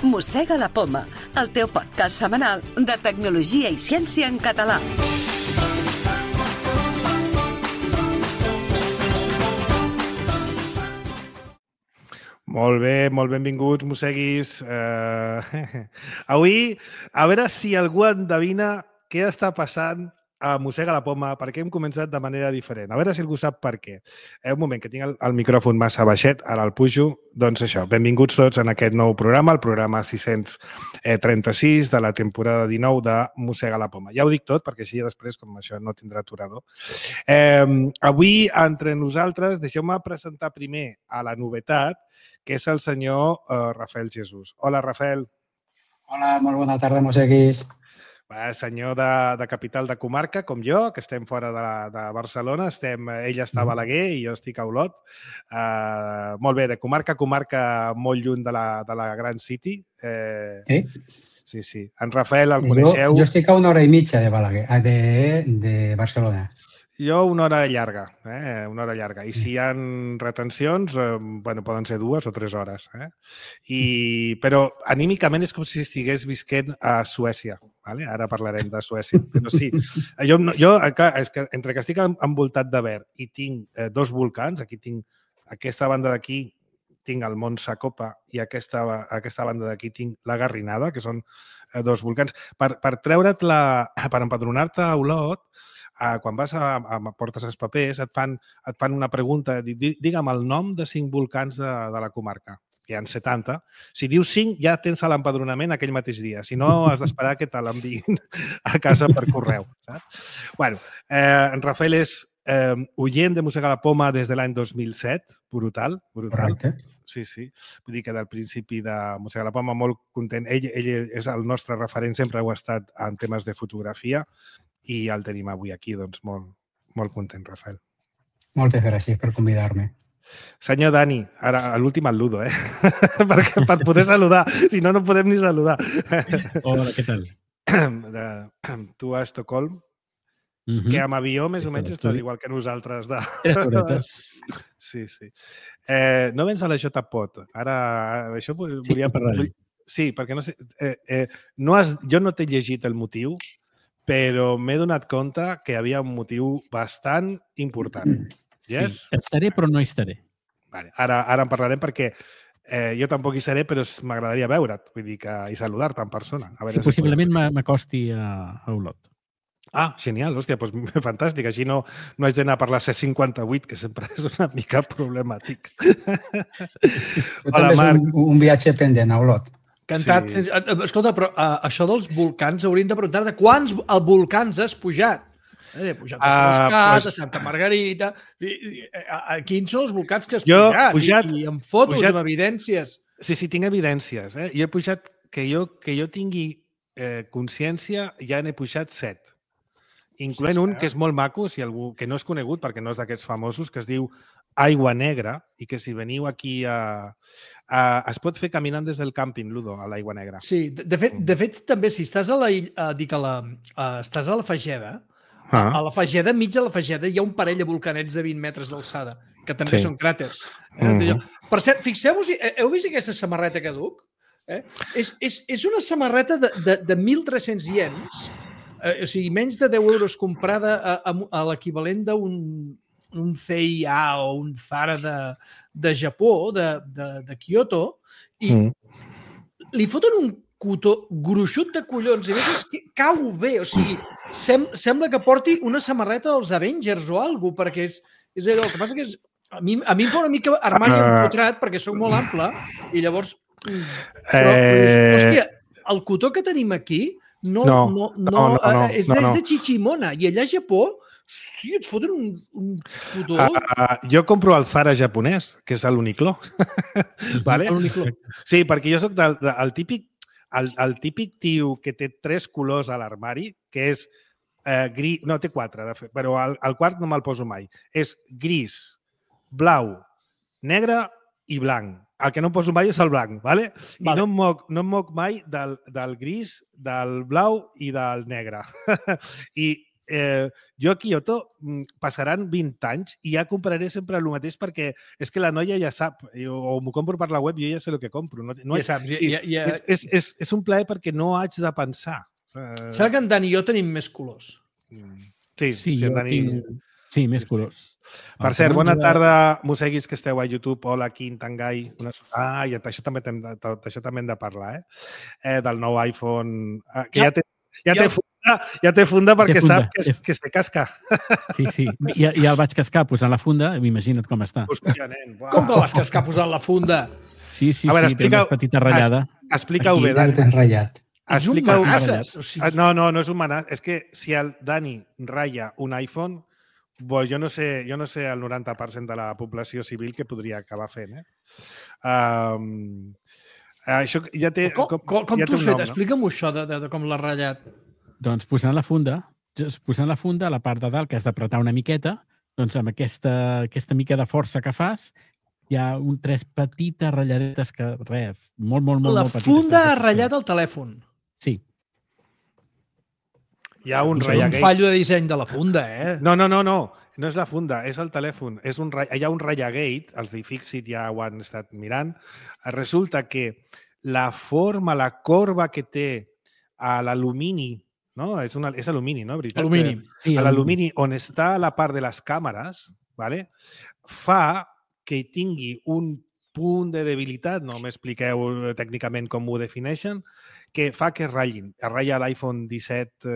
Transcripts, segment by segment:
Mossega la Poma, el teu podcast setmanal de tecnologia i ciència en català. Molt bé, molt benvinguts, mosseguis. Avui, a veure si algú endevina què està passant a Mossega la Poma, perquè hem començat de manera diferent. A veure si algú sap per què. Un moment, que tinc el micròfon massa baixet, ara el pujo. Doncs això, benvinguts tots en aquest nou programa, el programa 636 de la temporada 19 de Mossega la Poma. Ja ho dic tot, perquè així després, com això no tindrà aturador. Avui, entre nosaltres, deixeu-me presentar primer a la novetat, que és el senyor Rafael Jesús. Hola, Rafael. Hola, molt bona tarda, mosseguis. Senyor de capital de comarca, com jo, que estem fora de Barcelona. Ell està a Balaguer i jo estic a Olot. Molt bé, de comarca a comarca, molt lluny de la Gran City. Sí? Sí. En Rafael el coneixeu? Jo estic a 1 hora i mitja de Balaguer, de Barcelona. Jo una hora llarga, una hora llarga. I si hi ha retencions, poden ser 2 o 3 hores. Però anímicament és com si estigués visquent a Suècia. Ara parlarem de Suècia. Però sí, jo és que entre que estic envoltat de verd i tinc 2 volcans, aquí tinc aquesta banda d'aquí, tinc el Mont Sacopa i aquesta banda d'aquí tinc la Garrinada, que són 2 volcans. Per empadronar-te a Olot, quan vas portes els papers, et fan una pregunta, digue'm el nom de 5 volcans de la comarca, que hi ha 70. Si dius 5, ja tens l'empadronament aquell mateix dia. Si no, has d'esperar que te l'enviïn a casa per correu. En Rafael és oient de Mossega la Poma des de l'any 2007. Brutal. Correcte. Sí. Vull dir que del principi de Mossega la Poma molt content. Ell és el nostre referent, sempre ho ha estat en temes de fotografia. I el tenim avui aquí, doncs molt content, Rafael. Moltes gràcies per convidar-me. Senyor Dani, ara l'últim el ludo, per poder saludar, si no, no podem ni saludar. Hola, què tal? Tu a Estocolm, que amb avió més o menys estàs igual que nosaltres. 3 horetes. Sí. No vens a la JPOT. Ara, això volia parlar. Sí, perquè no sé... Jo no t'he llegit el motiu, però m'he donat compte que hi havia un motiu bastant important. Yes? Sí, estaré però no hi estaré. Vale. Ara en parlarem perquè jo tampoc hi seré, però m'agradaria veure't, vull dir, i saludar-te en persona. Sí, possiblement m'acosti a Olot. Ah, genial, hòstia, doncs fantàstic. Així no haig d'anar per la C58, que sempre és una mica problemàtic. Hola, Marc. Un viatge pendent a Olot. Cantat. Sí. Escolta, però això dels volcans hauríem de preguntar de quants volcans has pujat? He pujat a Toscat, a Santa Margarita... Quins són els volcans que has pujat? I amb fotos, amb evidències. Sí, tinc evidències. Jo he pujat, que jo tingui consciència, ja n'he pujat 7. Incloent un que és molt maco, si algú que no és conegut, perquè no és d'aquests famosos, que es diu Aigua Negra, i que si veniu aquí es pot fer caminant des del càmping, Ludo, a l'Aigua Negra. Sí, de fet també, si estàs estàs a la Fageda, a la Fageda, enmig de la Fageda, hi ha un parell de volcanets de 20 metres d'alçada, que també són cràters. Per cert, fixeu-vos, heu vist aquesta samarreta que duc? És una samarreta de 1.300 iens, o sigui, menys de 10 euros comprada a l'equivalent d'un CIA o un Zara de Japó, de Kyoto, i li foten un cotó gruixut de collons, i a més és que cau bé, o sigui, sembla que porti una samarreta dels Avengers o alguna cosa, perquè és allò, el que passa que a mi em fa una mica armari empotrat, perquè soc molt ample, i llavors... Però, hòstia, el cotó que tenim aquí és de Chichimona, i allà a Japó sí, et foten un cotó. Jo compro el Zara japonès, que és l'Uniqlo. Sí, perquè jo soc el típic tio que té 3 colors a l'armari, que és gris, no, té 4, de fet, però el quart no me'l poso mai. És gris, blau, negre i blanc. El que no em poso mai és el blanc, ¿vale? I no em moc mai del gris, del blau i del negre. I jo a Kyoto passaran 20 anys i ja compraré sempre el mateix perquè és que la noia ja sap, o m'ho compro per la web i jo ja sé el que compro. Ja saps. És un plaer perquè no haig de pensar. Saps que en Dan i jo tenim més colors? Sí, jo tinc... Sí, més colors. Per cert, bona tarda, mosseguis que esteu a YouTube. Hola, Quim, Tangai. I d'això també hem de parlar, del nou iPhone, que ja té funda perquè sap que se casca. Sí. Ja el vaig cascar posant la funda, imagina't com està. Hòstia, nen. Com que vas cascar posant la funda? Sí, té una petita ratllada. Explica-ho bé, Dani. És un manasses. No és un manasses. És que si el Dani ratlla un iPhone, jo no sé el 90% de la població civil que podria acabar fent, Això ja té... Com t'ho has fet? Explica'm això de com l'has ratllat. Doncs posant la funda a la part de dalt, que has d'apretar una miqueta, doncs amb aquesta mica de força que fas, hi ha tres petites ratlladetes que, molt petites. La funda ha ratllat el telèfon. Sí. Hi ha un ratllagate. Un fallo de disseny de la funda, No. No és la funda, és el telèfon. Hi ha un ratllagate, els d'iFixit ja ho han estat mirant. Resulta que la forma, la corba que té a l'alumini, no? És alumini, no? Veritat? Alumini. Sí, l'alumini on està la part de les càmeres, ¿vale? Fa que tingui un punt de debilitat, no m'expliqueu tècnicament com ho defineixen, que fa que ratllin. Es ratlla a l'iPhone 17,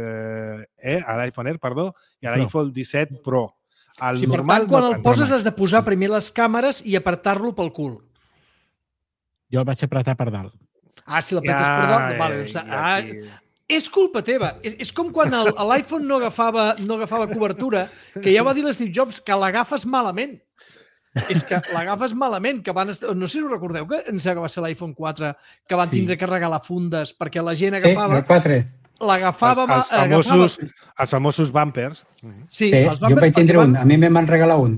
a l'iPhone Air, perdó, i a l'iPhone 17 Pro. Sí, per tant, quan el poses has de posar primer les càmeres i apretar-lo pel cul. Jo el vaig apretar per dalt. Si l'apretes per dalt... Vale, és culpa teva. És com quan l'iPhone no agafava cobertura, que ja va dir l'Steve Jobs que l'agafes malament. És que l'agafes malament, que no sé si us recordeu que va ser l'iPhone 4 que van tindre que regalar fundes perquè la gent agafava... Sí, el 4. L'agafava... Els famosos bumpers. Sí, jo vaig tindre un. A mi me'n van regalar un.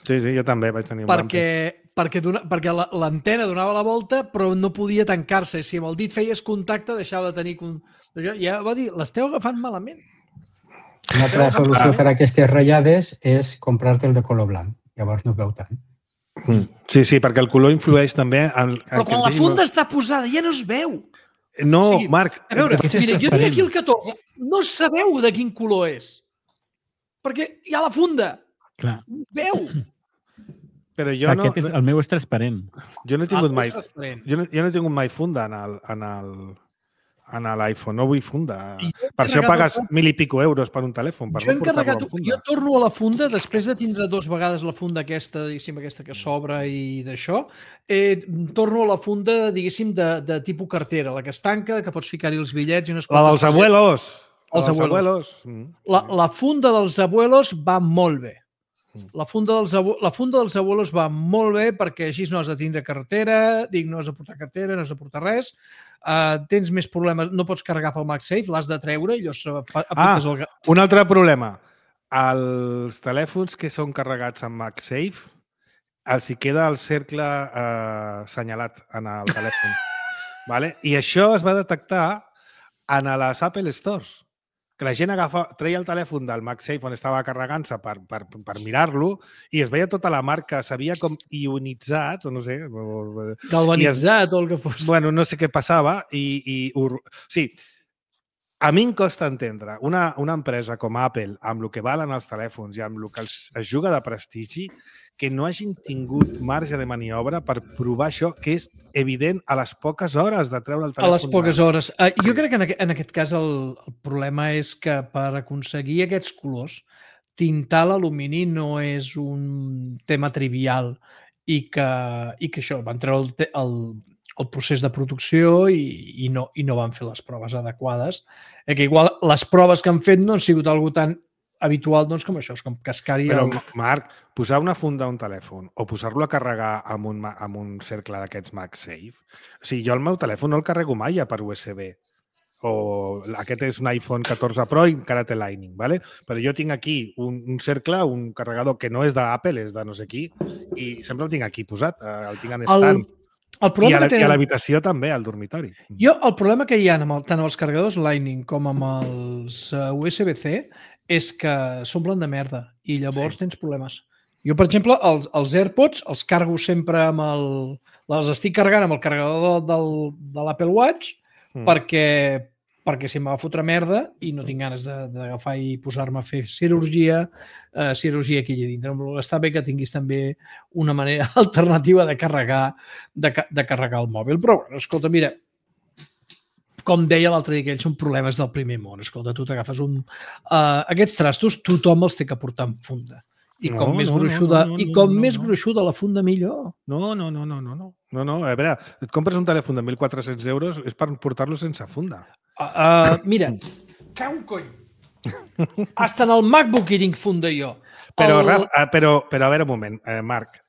Sí, jo també vaig tenir un bumper. Perquè l'antena donava la volta, però no podia tancar-se. Si amb el dit feies contacte, deixava de tenir... Ja va dir, l'esteu agafant malament. Una altra solució per a aquestes ratllades és comprar-te el de color blanc. Llavors no es veu tant. Sí, perquè el color influeix també... Però quan la funda està posada ja no es veu. No, Marc... A veure, mira, jo tinc aquí el 14. No sabeu de quin color és. Perquè hi ha la funda. Clar. Veu. Però jo no... El meu és transparent. Jo no he tingut mai... Jo no he tingut mai funda en l'iPhone. No vull funda. Per això pagues 1.000 i pico euros per un telèfon. Jo torno a la funda, després de tindre 2 vegades la funda aquesta, diguéssim, aquesta que s'obre i d'això, torno a la funda, diguéssim, de tipus cartera, la que es tanca, que pots ficar-hi els bitllets i unes La dels abuelos. Els abuelos. La funda dels abuelos va molt bé. La funda dels abuelos va molt bé perquè així no has de tindre cartera, no has de portar cartera, no has de portar res, tens més problemes, no pots carregar pel MagSafe, l'has de treure i apliques el... Un altre problema. Els telèfons que són carregats amb MagSafe els hi queda el cercle assenyalat en el telèfon. Vale? I això es va detectar en les Apple Stores. Que la gent treia el telèfon del MagSafe on estava carregant-se per mirar-lo i es veia tota la marca, s'havia com ionitzat, o no sé... Galvanitzat o el que fos. Bueno, no sé què passava sí, a mi em costa entendre una empresa com Apple, amb el que valen els telèfons i amb el que es juga de prestigi, que no hagin tingut marge de maniobra per provar això, que és evident a les poques hores de treure el telèfon. A les poques hores. Jo crec que en aquest cas el problema és que per aconseguir aquests colors, tintar l'alumini no és un tema trivial i que això, van treure el procés de producció i no van fer les proves adequades. Que igual les proves que han fet no han sigut algo tan habitual com això, és com cascar-hi... Però, Marc, posar una funda a un telèfon o posar-lo a carregar amb un cercle d'aquests MagSafe, o sigui, jo el meu telèfon no el carrego mai per USB. O aquest és un iPhone 14 Pro i encara té Lightning, ¿vale? Però jo tinc aquí un cercle, un carregador que no és d'Apple, és de no sé qui, i sempre el tinc aquí posat, el tinc en stand. I a l'habitació també, al dormitori. El problema que hi ha tant amb els carregadors Lightning com amb els USB-C és que s'omplen de merda i llavors tens problemes. Jo, per exemple, els AirPods els cargo sempre amb les estic carregant amb el carregador de l'Apple Watch perquè si em va fotre merda i no tinc ganes d'agafar i posar-me a fer cirurgia aquí allà dintre. Està bé que tinguis també una manera alternativa de carregar el mòbil. Però, escolta, mira, com deia l'altre dia, que ells són problemes del primer món. Escolta, tu t'agafes aquests trastos, tothom els té que portar en funda. I com més gruixuda la funda, millor. No. A veure, et compres un telèfon de 1.400 euros és per portar-lo sense funda. Mira, cau un cony. Hasta en el MacBook hi tinc funda jo. Però a veure un moment, Marc,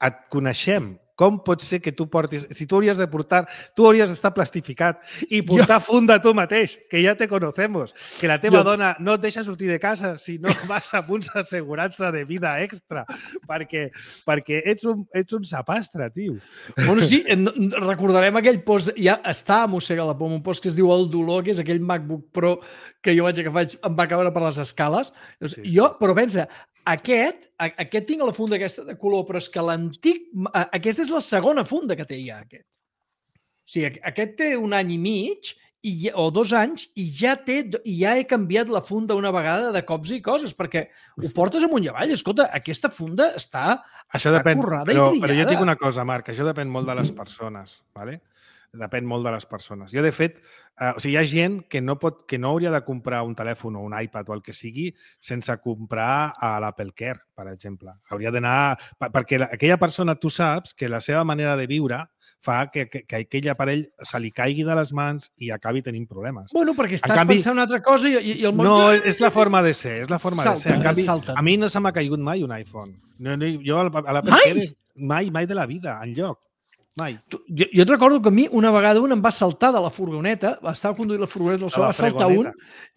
et coneixem. Com pot ser que tu portis... Si tu hauries d'estar plastificat i portar funda tu mateix, que ja te conocemos, que la teva dona no et deixa sortir de casa si no vas a punts d'assegurança de vida extra, perquè ets un sapastre, tio. Bueno, sí, recordarem aquell post, ja està a Mossega la Poma, un post que es diu El Dolor, que és aquell MacBook Pro que jo vaig agafar, em va caure per les escales. Però pensa, aquest tinc la funda aquesta de color, però és que l'antic... Aquesta és la segona funda que té ja, aquest. O sigui, aquest té 1 any i mig o 2 anys i ja he canviat la funda una vegada de cops i coses, perquè ho portes amunt i avall. Escolta, aquesta funda està currada i triada. Però jo et dic una cosa, Marc, això depèn molt de les persones, ¿vale? Depèn molt de les persones. Jo, de fet, hi ha gent que no hauria de comprar un telèfon o un iPad o el que sigui sense comprar a l'Apple Care, per exemple. Hauria d'anar... Perquè aquella persona, tu saps que la seva manera de viure fa que aquell aparell se li caigui de les mans i acabi tenint problemes. Bueno, perquè estàs pensant una altra cosa i el món... No, és la forma de ser, és la forma de ser. En canvi, a mi no se m'ha caigut mai un iPhone. Jo a l'Apple Care mai de la vida, enlloc. Mai. Jo et recordo que a mi una vegada un em va saltar de la furgoneta, estava conduint la furgoneta del sol, va saltar un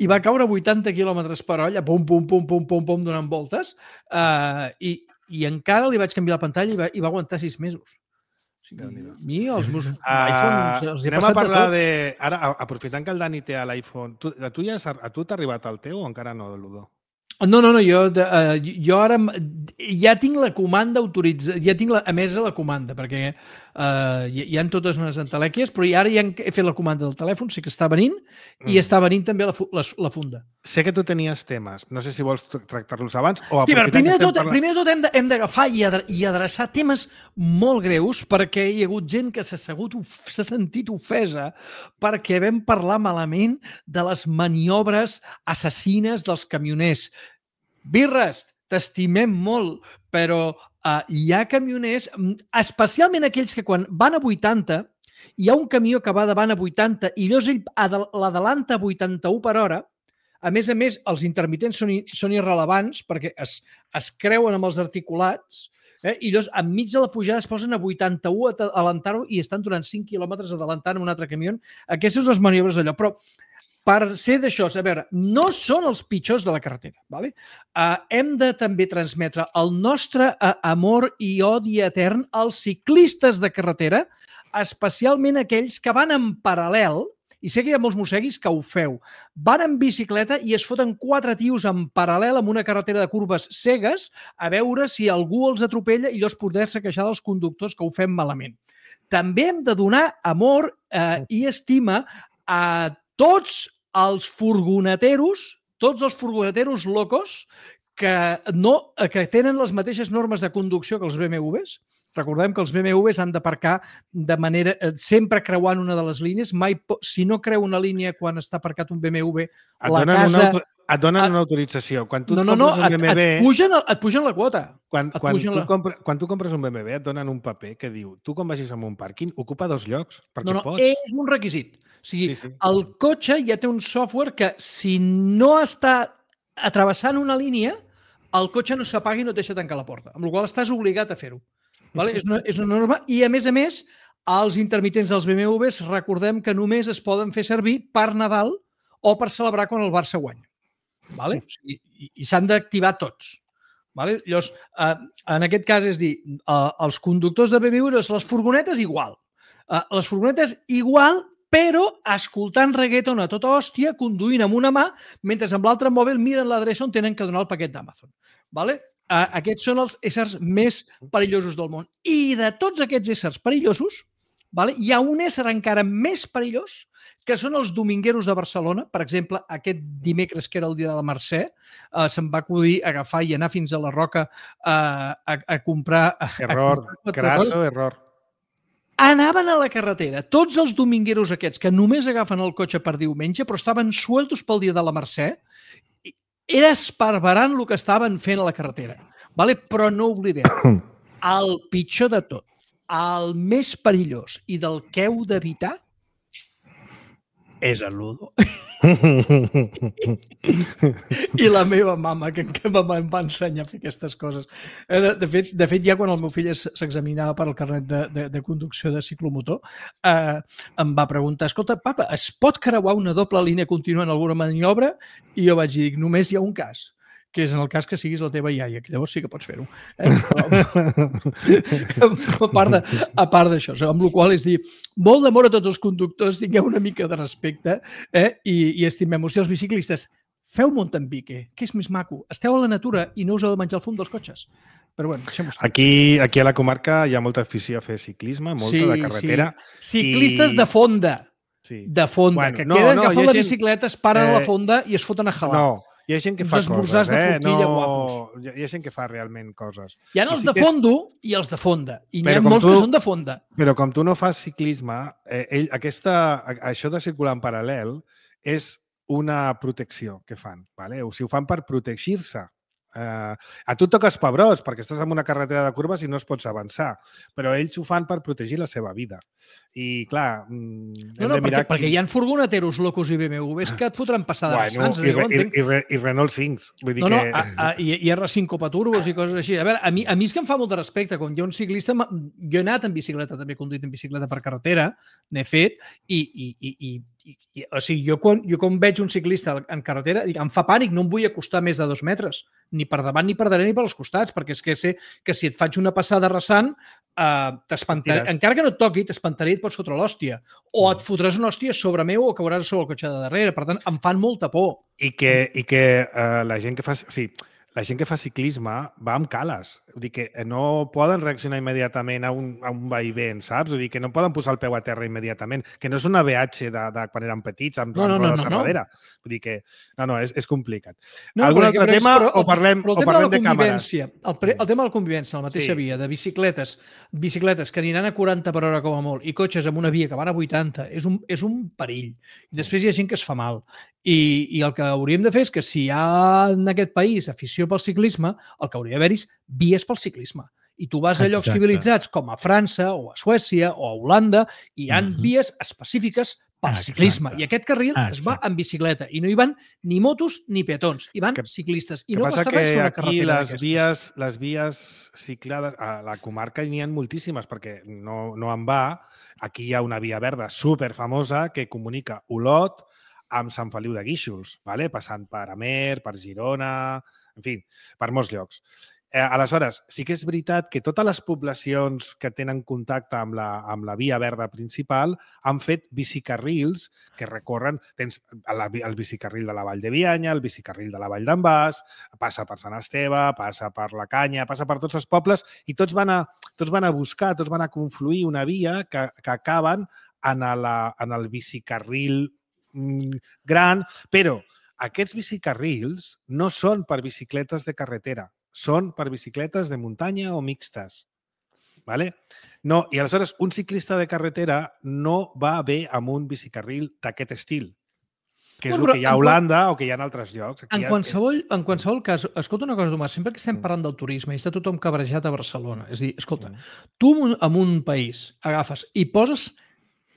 i va caure 80 km per hora, pum, donant voltes, i encara li vaig canviar la pantalla i va aguantar 6 mesos. O sigui, a mi els meus iPhones els he passat de tot. Anem a parlar de... Ara, aprofitant que el Dani té l'iPhone, a tu t'ha arribat el teu o encara no, Ludó? No, jo ara ja tinc la comanda autoritzada, ja tinc emesa la comanda, perquè hi ha totes unes entelèquies, però ara ja he fet la comanda del telèfon, sé que està venint, i està venint també la funda. Sé que tu tenies temes, no sé si vols tractar-los abans o aprofitar... Primer de tot hem d'agafar i adreçar temes molt greus, perquè hi ha hagut gent que s'ha sentit ofesa perquè vam parlar malament de les maniobres assassines dels camioners. Birres, t'estimem molt, però hi ha camioners, especialment aquells que quan van a 80, hi ha un camió que va davant a 80 i llavors ell l'adalanta a 81 per hora. A més, els intermitents són irrelevants perquè es creuen amb els articulats i llavors enmig de la pujada es posen a 81 a adelantar-ho i estan durant 5 quilòmetres adelantant un altre camió. Aquestes són les maniobres d'allò, però per ser d'això, a veure, no són els pitjors de la carretera. ¿Vale? Hem de també transmetre el nostre amor i odi etern als ciclistes de carretera, especialment aquells que van en paral·lel, i sé que hi ha molts mosseguis que ho feu, van en bicicleta i es foten 4 tios en paral·lel amb una carretera de curves cegues a veure si algú els atropella i llavors poder-se queixar dels conductors que ho fem malament. També hem de donar amor i estima a tots els furgoneteros locos que tenen les mateixes normes de conducció que els BMWs. Recordem que els BMWs han d'aparcar de manera sempre creuant una de les línies. Si no creu una línia quan està aparcat un BMW, et donen una autorització. Quan tu compres un BMW... Et pugen la quota. Quan tu compres un BMW et donen un paper que diu tu quan vagis a un pàrquing ocupa 2 llocs perquè pots. És un requisit. O sigui, el cotxe ja té un software que si no està atrevessant una línia, el cotxe no s'apaga i no et deixa tancar la porta, amb la qual estàs obligat a fer-ho. Vale? És una norma i, a més, els intermitents dels BMWs recordem que només es poden fer servir per Nadal o per celebrar quan el Barça guanya. Vale? O sigui, i s'han d'activar tots. Vale? Llavors, en aquest cas, és dir, els conductors de BMW, les furgonetes igual. Les furgonetes igual, però escoltant reggaeton a tota hòstia, conduint amb una mà, mentre amb l'altre mòbil miren l'adreça on tenen que donar el paquet d'Amazon. Vale? Aquests són els éssers més perillosos del món. I de tots aquests éssers perillosos, vale, hi ha un ésser encara més perillós, que són els domingueros de Barcelona. Per exemple, aquest dimecres, que era el dia de la Mercè, se'm va acudir agafar i anar fins a la Roca a comprar... Error, crasso, error. Anaven a la carretera, tots els domingueros aquests que només agafen el cotxe per diumenge, però estaven sueltos pel dia de la Mercè, era esparverant el que estaven fent a la carretera. Vale? Però no oblideu, el pitjor de tot, el més perillós i del que heu d'evitar és el Ludo. I la meva mama, que em va ensenyar a fer aquestes coses. De fet, ja quan el meu fill s'examinava per al carnet de conducció de ciclomotor, em va preguntar, escolta, papa, es pot creuar una doble línia contínua en alguna maniobra? I jo vaig dir, només hi ha un cas, que és en el cas que siguis la teva iaia, que llavors sí que pots fer-ho. A part d'això, amb la qual és dir, molt d'amor a tots els conductors, tingueu una mica de respecte i estimem-vos. I els biciclistes, feu Montempique, que és més maco. Esteu a la natura i no us heu de menjar el fum dels cotxes. Però bueno, deixem-ho estar. Aquí a la comarca hi ha molta afició a fer ciclisme, molta de carretera. Sí. Ciclistes de fonda. Sí. De fonda, que queden agafant la bicicleta, es paren a la fonda i es foten a jalar. No, hi ha gent que fa coses, de forquilla guapos. Hi ha gent que fa realment coses. Hi ha els de fondo i els de fonda. I n'hi ha molts que són de fonda. Però com tu no fas ciclisme, això de circular en paral·lel és una protecció que fan. Vale? O sigui, ho fan per protegir-se. A tu et toques pebrots perquè estàs en una carretera de curves i no es pots avançar, però ells ho fan per protegir la seva vida. I clar, perquè hi ha furgoneteros locos i BMWs que et fotran passada de sants. I Renault 5. Vull dir i R5 Copaturbos i coses així. A veure, a mi és que em fa molt de respecte. Quan hi ha un ciclista, jo he anat en bicicleta, també he conduït en bicicleta per carretera, n'he fet, o sigui, jo quan veig un ciclista en carretera, dic, em fa pànic, no em vull acostar més de 2 metres, ni per davant, ni per darrere, ni per als costats, perquè és que sé que si et faig una passada rasant, encara que no et toqui, t'espantaré i et pots fotre l'hòstia. O et fotràs una hòstia sobre meu o cauràs sobre el cotxe de darrere. Per tant, em fan molta por. I que la gent que fa... O sigui, la gent que fa ciclisme va amb cales. Vull dir que no poden reaccionar immediatament a un vaivent, saps? Vull dir que no poden posar el peu a terra immediatament. Que no és una VH de quan eren petits amb rodes a darrere. Vull dir que... No, és complicat. Algun altre tema o parlem de càmeres? El tema de la convivència, la mateixa via, de bicicletes que aniran a 40 per hora com a molt i cotxes amb una via que van a 80, és un perill. I després hi ha gent que es fa mal. I el que hauríem de fer és que si hi ha en aquest país afició pel ciclisme, el que hauria d'haver-hi és vies pel ciclisme. I tu vas a llocs civilitzats com a França o a Suècia o a Holanda i hi ha vies específiques per ciclisme. I aquest carril es va en bicicleta i no hi van ni motos ni peatons, hi van ciclistes. I no costa res una carretera d'aquestes. Les vies ciclades, a la comarca n'hi ha moltíssimes perquè no en va. Aquí hi ha una via verda superfamosa que comunica Olot amb Sant Feliu de Guíxols, passant per Amer, per Girona, en fi, per molts llocs. Aleshores, sí que és veritat que totes les poblacions que tenen contacte amb la via verda principal han fet bicicarrils que recorren... Tens el bicicarril de la Vall de Bianya, el bicicarril de la Vall d'en Bas, passa per Sant Esteve, passa per la Canya, passa per tots els pobles i tots van a buscar, tots van a confluir una via que acaben en el bicicarril gran, però aquests bicicarrils no són per bicicletes de carretera, són per bicicletes de muntanya o mixtes. No, i aleshores un ciclista de carretera no va bé amb un bicicarril d'aquest estil, que és el que hi ha a Holanda o que hi ha en altres llocs. En qualsevol cas, escolta una cosa, Tomàs, sempre que estem parlant del turisme i està tothom cabrejat a Barcelona, és a dir, escolta, tu en un país agafes i poses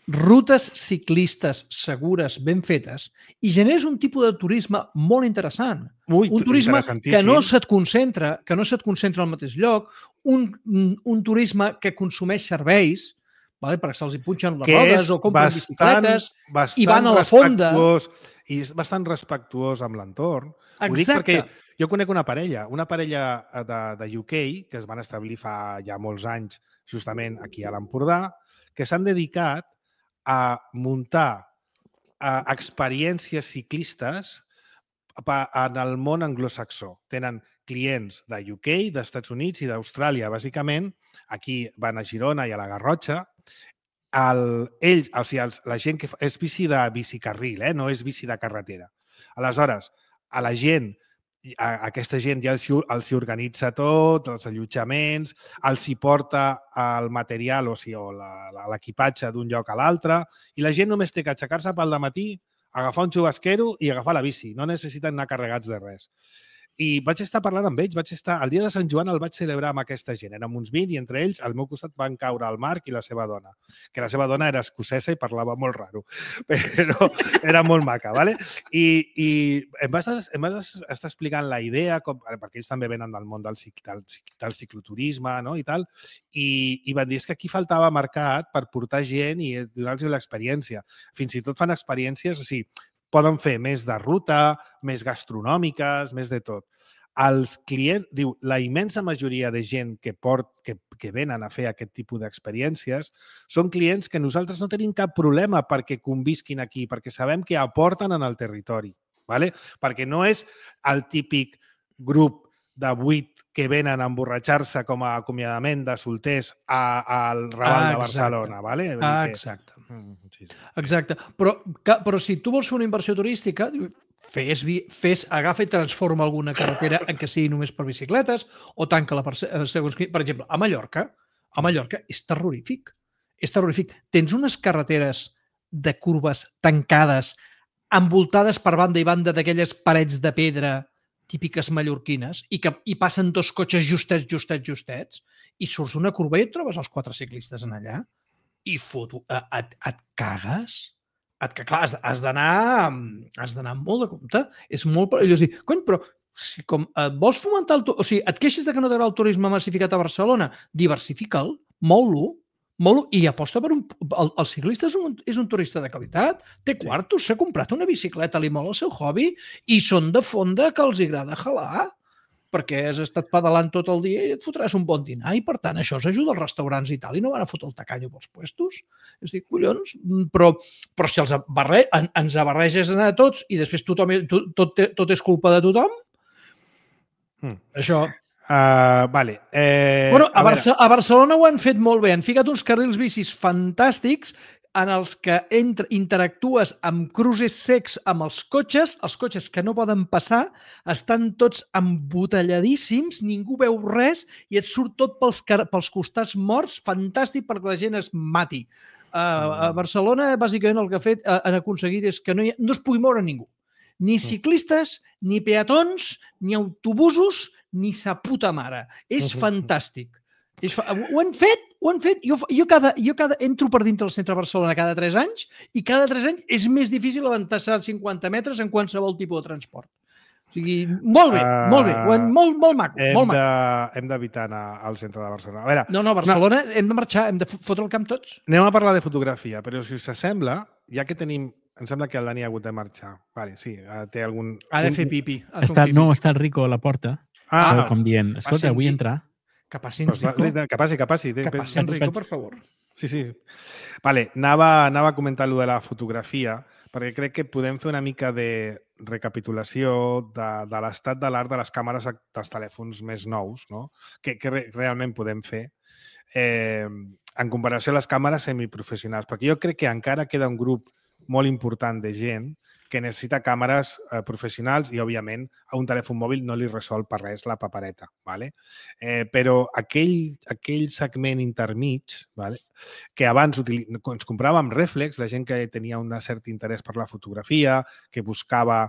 rutes ciclistes segures, ben fetes, i generes un tipus de turisme molt interessant. Un turisme que no se't concentra al mateix lloc, un turisme que consumeix serveis, perquè se'ls hi punxen les rodes o compren bicicletes i van a la fonda. I és bastant respectuós amb l'entorn. Exacte. Ho dic perquè jo conec una parella de UK que es van establir fa ja molts anys justament aquí a l'Empordà, que s'han dedicat a muntar experiències ciclistes en el món anglosaxó. Tenen clients de UK, d'Estats Units i d'Austràlia, bàsicament. Aquí van a Girona i a la Garrotxa. Ells, o sigui, la gent que és bici de bicicarril, no és bici de carretera. Aleshores, a la gent, aquesta gent ja els organitza tot, els allotjaments, els hi porta el material, o sigui, l'equipatge d'un lloc a l'altre, i la gent només té que aixecar-se pel dematí, agafar un xubasquero i agafar la bici. No necessiten anar carregats de res. I vaig estar parlant amb ells, el dia de Sant Joan el vaig celebrar amb aquesta gent. Érem uns 20 i entre ells al meu costat van caure el Marc i la seva dona, que la seva dona era escocesa i parlava molt raro, però era molt maca, ¿vale? I em vas estar explicant la idea, perquè ells també venen del món del cicloturisme, no? I tal, i van dir que aquí faltava mercat per portar gent i donar-los l'experiència. Fins i tot fan experiències, o sigui, poden fer més de ruta, més gastronòmiques, més de tot. Els clients, diu, la immensa majoria de gent que venen a fer aquest tipus d'experiències són clients que nosaltres no tenim cap problema perquè convisquin aquí, perquè sabem que aporten en el territori, ¿vale? Perquè no és el típic grup de 8 que venen a emborratxar-se com a acomiadament de solters al Raval de Barcelona, ¿vale? Exacte. Exacte. Però si tu vols fer una inversió turística, agafa i transforma alguna carretera en què sigui només per bicicletes o tanca-la segons... Per exemple, a Mallorca és terrorífic. És terrorífic. Tens unes carreteres de curves tancades, envoltades per banda i banda d'aquelles parets de pedra típiques mallorquines, i passen 2 cotxes justets, i surts d'una curva i et trobes els 4 ciclistes en allà, i et cagues. Clar, has d'anar molt de compte. És molt perillós dir, cony, però si vols fomentar o sigui, et queixes de que no t'agrada el turisme massificat a Barcelona, diversifica'l, mou-lo, i aposta per el ciclista és un turista de qualitat, té quartos, s'ha comprat una bicicleta, li mola el seu hobby i són de fonda que els agrada jalar perquè has estat pedalant tot el dia i et fotràs un bon dinar i per tant això s'ajuda als restaurants i tal i no van a fotre el tacanyo pels puestos. És dir, collons, però si ens barreges a tots i després tot és culpa de tothom, això... Vale. A Barcelona ho han fet molt bé. Han ficat uns carrils bicis fantàstics en els que interactues amb cruces secs amb els cotxes que no poden passar, estan tots embotelladíssims, ningú veu res i et surt tot pels costats morts, fantàstic perquè la gent es mati. A Barcelona, bàsicament, el que han aconseguit és que no es pugui moure ningú. Ni ciclistes, ni peatons, ni autobusos, ni sa puta mare. És fantàstic. Ho han fet. Jo entro per dintre del centre de Barcelona cada 3 anys i cada 3 anys és més difícil avançar 50 metres en qualsevol tipus de transport. O sigui, molt bé. Molt maco. Hem d'evitar anar al centre de Barcelona. A veure, no, Barcelona hem de marxar, hem de fotre el camp tots. Anem a parlar de fotografia, però si us sembla, ja que tenim... Em sembla que el Dani ha hagut de marxar. Vale, sí, té algun... Ha de fer pipi. No, està el Rico a la porta, com dient, escolta, vull entrar. Que passi en Rico. Que passi. Que passi en Rico, per favor. Sí. Vale, anava a comentar allò de la fotografia, perquè crec que podem fer una mica de recapitulació de l'estat de l'art de les càmeres dels telèfons més nous, no? Que realment podem fer en comparació a les càmeres semiprofessionals, perquè jo crec que encara queda un grup molt important de gent que necessita càmeres professionals i, òbviament, a un telèfon mòbil no li resol per res la papereta. ¿Vale? Però aquell segment intermig, ¿vale? Que abans ens compràvem rèflex, la gent que tenia un cert interès per la fotografia, que buscava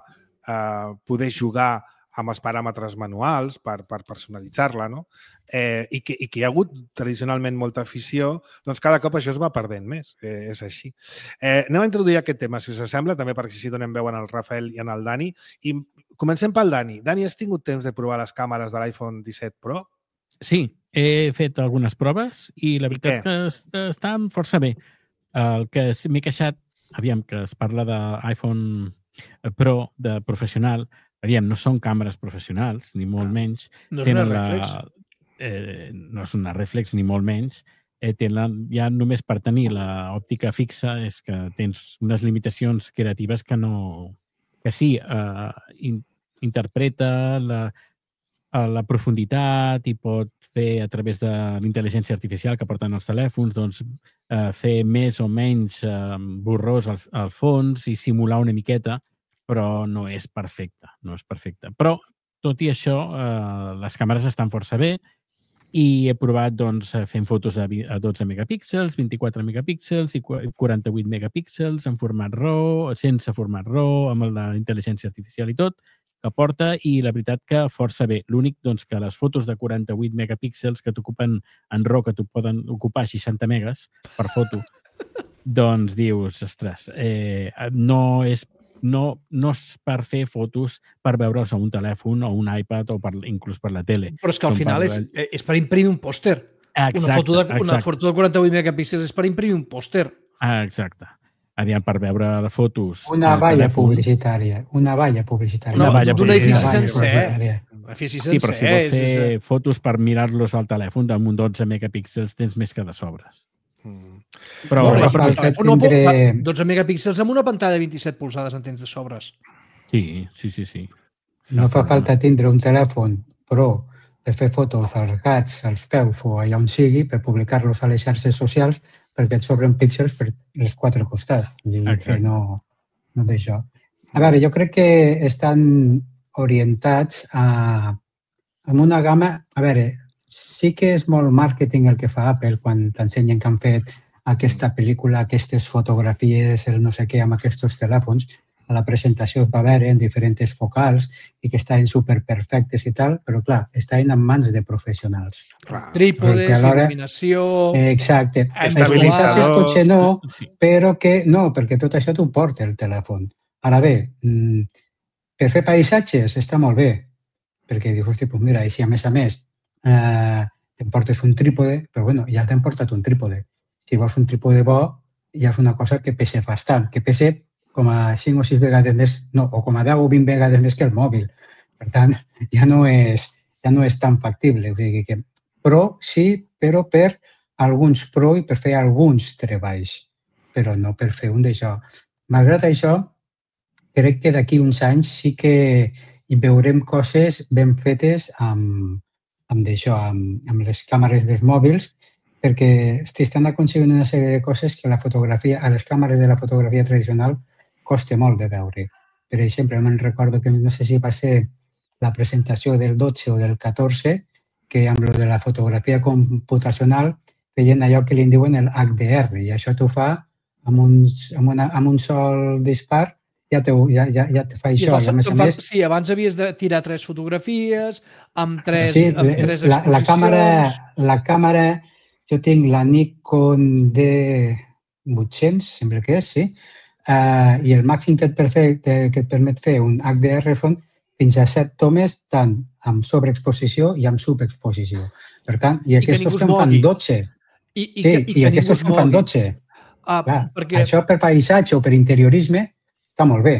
poder jugar amb els paràmetres manuals per personalitzar-la, no? I que hi ha hagut tradicionalment molta afició, doncs cada cop això es va perdent més. És així. Anem a introduir aquest tema, si us sembla, també perquè així donem veu en el Rafael i en el Dani. I comencem pel Dani. Dani, has tingut temps de provar les càmeres de l'iPhone 17 Pro? Sí, he fet algunes proves i la veritat que estan força bé. El que m'he queixat, aviam, que es parla d'iPhone Pro de professional, aviam, no són càmeres professionals, ni molt menys. No és una reflex. No és una reflex, ni molt menys. ja només per tenir l'òptica fixa és que tens unes limitacions creatives que sí, interpreta la profunditat i pot fer a través de l'intel·ligència artificial que porten els telèfons, doncs fer més o menys borrós al fons i simular una miqueta, però no és perfecte, Però, tot i això, les càmeres estan força bé i he provat fent fotos a 12 megapíxels, 24 megapíxels i 48 megapíxels en format RAW, sense format RAW, amb la intel·ligència artificial i tot, que porta, i la veritat que força bé. L'únic que les fotos de 48 megapíxels que t'ocupen en RAW, que t'ho poden ocupar 60 megas per foto, doncs dius, ostres, no és per fer fotos per veure'ls a un telèfon o un iPad o inclús per la tele. Però és que al final és per imprimir un pòster. Una foto de 48 megapíxels és per imprimir un pòster. Exacte. Aviam, per veure les fotos... Una valla publicitària. Una valla publicitària. D'un edifici sencer. Sí, però si vols fer fotos per mirar-los al telèfon damunt 12 megapíxels tens més que de sobres. Però 12 megapíxels amb una pantalla de 27 polzades en tens de sobres. Sí. No fa falta tindre un telèfon Pro per fer fotos als gats, als peus o allà on sigui, per publicar-los a les xarxes socials, perquè et sobren píxels per els quatre costats. No d'això. A veure, jo crec que estan orientats a una gamma... A veure, sí que és molt màrqueting el que fa Apple quan t'ensenyen que han fet aquesta pel·lícula, aquestes fotografies, el no sé què, amb aquests telèfons. A la presentació es va veure en diferents focals i que estaven superperfectes i tal, però clar, estaven en mans de professionals. Trípodes, il·luminació... Exacte. Els paisatges potser no, però que no, perquè tot això t'ho porta el telèfon. Ara bé, per fer paisatges està molt bé, perquè dius, hosti, doncs mira, i si a més te'n portes un trípode, però bueno, ja t'hem portat un trípode. Si vols un trípode bo, ja és una cosa que pesa bastant, que pesa com a 5 o 6 vegades més, no, o com a 10 o 20 vegades més que el mòbil. Per tant, ja no és tan factible. O sigui que, però sí, però per alguns pro i per fer alguns treballs, però no per fer un d'això. Malgrat això, crec que d'aquí uns anys sí que hi veurem coses ben fetes amb les càmeres dels mòbils, perquè estan aconseguint una sèrie de coses que a les càmeres de la fotografia tradicional costa molt de veure. Per exemple, me'n recordo que no sé si va ser la presentació del 12 o del 14, que amb lo de la fotografia computacional feien allò que li diuen el HDR, i això t'ho fa amb un sol dispar, ja te fa això. I a més, sí, abans havies de tirar 3 fotografies amb 3 exposicions. La càmera, jo tinc la Nikon D800, sembla que és, sí, i el màxim que et permet fer un HDR són fins a 7 tomes tant amb sobreexposició i amb subexposició. Per tant, i aquests que en fan 12. I aquests que en fan 12. Això per paisatge o per interiorisme està molt bé.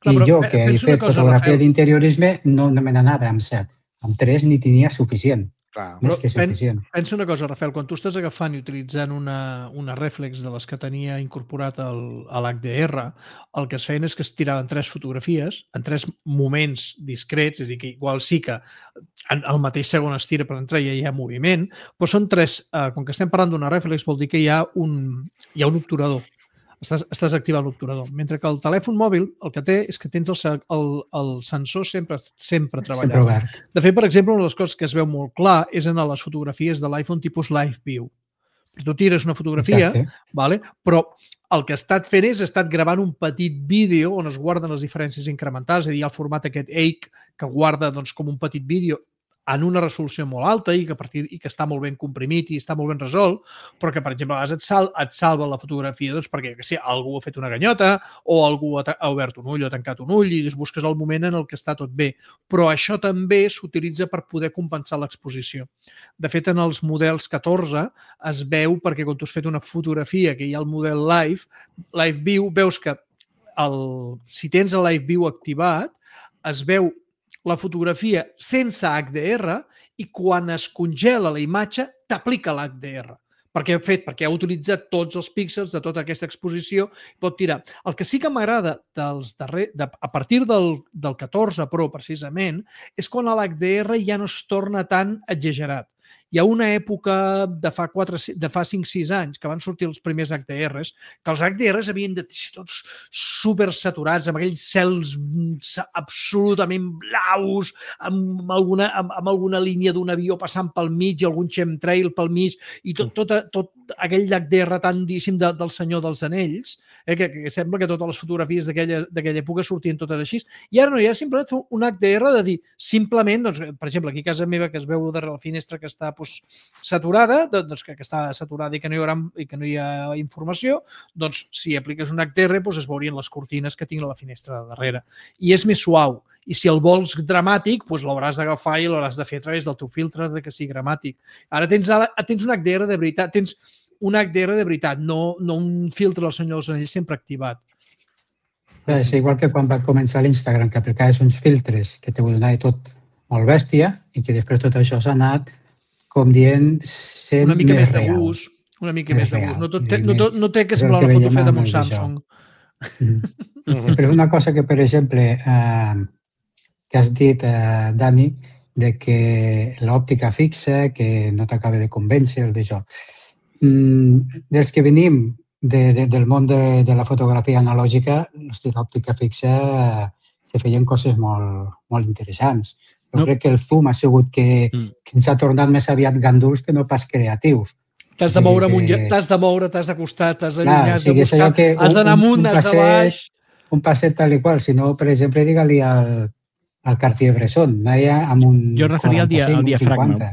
I jo, que he fet fotografia d'interiorisme, no me n'anava amb 7. Amb 3 n'hi tenia suficient. Més que suficient. Pensa una cosa, Rafael, quan tu estàs agafant i utilitzant una reflex de les que tenia incorporat a l'HDR, el que es feien és que es tiraven 3 fotografies en 3 moments discrets, és a dir, que igual sí que al mateix segon es tira, per entrar ja hi ha moviment, però són 3, com que estem parlant d'una reflex, vol dir que hi ha un obturador. Estàs activant l'obturador. Mentre que el telèfon mòbil el que té és que tens el sensor sempre treballant. De fet, per exemple, una de les coses que es veu molt clar és en les fotografies de l'iPhone tipus Live View. Tu tires una fotografia, però el que ha estat fent és gravant un petit vídeo on es guarden les diferències incrementals, és a dir, el format aquest EIC que guarda com un petit vídeo en una resolució molt alta i que està molt ben comprimit i està molt ben resolt, però que, per exemple, a vegades et salva la fotografia perquè algú ha fet una ganyota o algú ha obert un ull o ha tancat un ull i busques el moment en el que està tot bé. Però això també s'utilitza per poder compensar l'exposició. De fet, en els models 14 es veu, perquè quan tu has fet una fotografia que hi ha el model Live View, veus que si tens el Live View activat, es veu la fotografia sense HDR i quan es congela la imatge t'aplica l'HDR. perquè ha utilitzat tots els píxels de tota aquesta exposició, pot tirar. El que sí que m'agrada a partir del 14 Pro, precisament, és quan l'HDR ja no es torna tan exagerat. Hi ha una època de fa 5-6 anys que van sortir els primers HDRs, que els HDRs havien de ser tots supersaturats, amb aquells cels absolutament blaus, amb alguna línia d'un avió passant pel mig i algun chemtrail pel mig, i tot aquell HDR tandíssim del Senyor dels Anells, que sembla que totes les fotografies d'aquella època sortien totes així. I ara no, hi ha simplement un HDR de dir, simplement, doncs, per exemple, aquí a casa meva, que es veu darrere la finestra que està saturada, doncs que està saturada i que no hi ha informació, doncs si apliques un HDR es veurien les cortines que tinc a la finestra de darrere. I és més suau. I si el vols dramàtic, l'hauràs d'agafar i l'hauràs de fer a través del teu filtre de que sigui dramàtic. Ara tens un HDR de veritat, no un filtre del Senyor dels Anells sempre activat. És igual que quan va començar l'Instagram, que aplicaves uns filtres que te ho donava tot molt bèstia i que després tot això s'ha anat com dient sent una mica més de real. Gust, una mica més de gust. No té que semblar la foto feta amb un Samsung. Però una cosa que, per exemple, que has dit, Dani, de que l'òptica fixa, que no t'acaba de convèncer, d'això. Dels que venim del món de la fotografia analògica, l'òptica fixa se feien coses molt interessants. Jo crec que el zoom ha sigut que ens ha tornat més aviat ganduls que no pas creatius. T'has de moure, t'has d'acostar, t'has d'allunyar, has de buscar, has d'anar amunt, has de baix. Un passet tal i qual. Si no, per exemple, digue-li al Cartier-Bresson, anaia amb un 45, jo referia al diafragma. 50.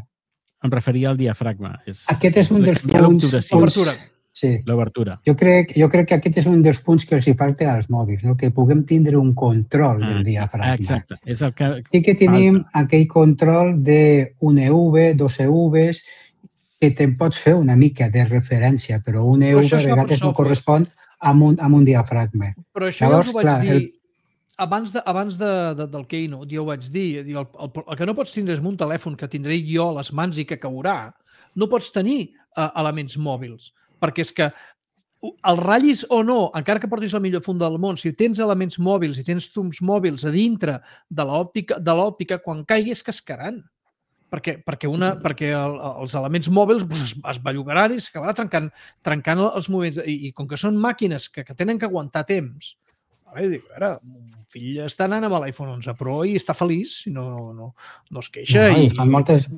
Em referia al diafragma. Aquest és un dels punts... L'obertura. Sí. L'obertura. Jo crec que aquest és un dels punts que els hi falta als mòbils, no? Que puguem tindre un control del diafragma. Exacte. És el que i que tenim aquell control d'un EV, 2 EVs, que te'n pots fer una mica de referència, però un EV a vegades no correspon amb un diafragma. Però això llavors, ja us ho vaig dir abans del Keynote, jo ho vaig dir, el que no pots tindre és un telèfon que tindré jo a les mans i que caurà, no pots tenir elements mòbils, perquè és que el ratllis o no, encara que portis la millor funda del món, si tens elements mòbils i tens zooms mòbils a dintre de l'òptica, quan caiguis cascaran. Perquè els elements mòbils es bellugaran i s'acabarà trencant els moviments. I com que són màquines que tenen que aguantar temps, dic, a veure, mon fill està anant amb l'iPhone 11 Pro i està feliç, no es queixa. I fan moltes...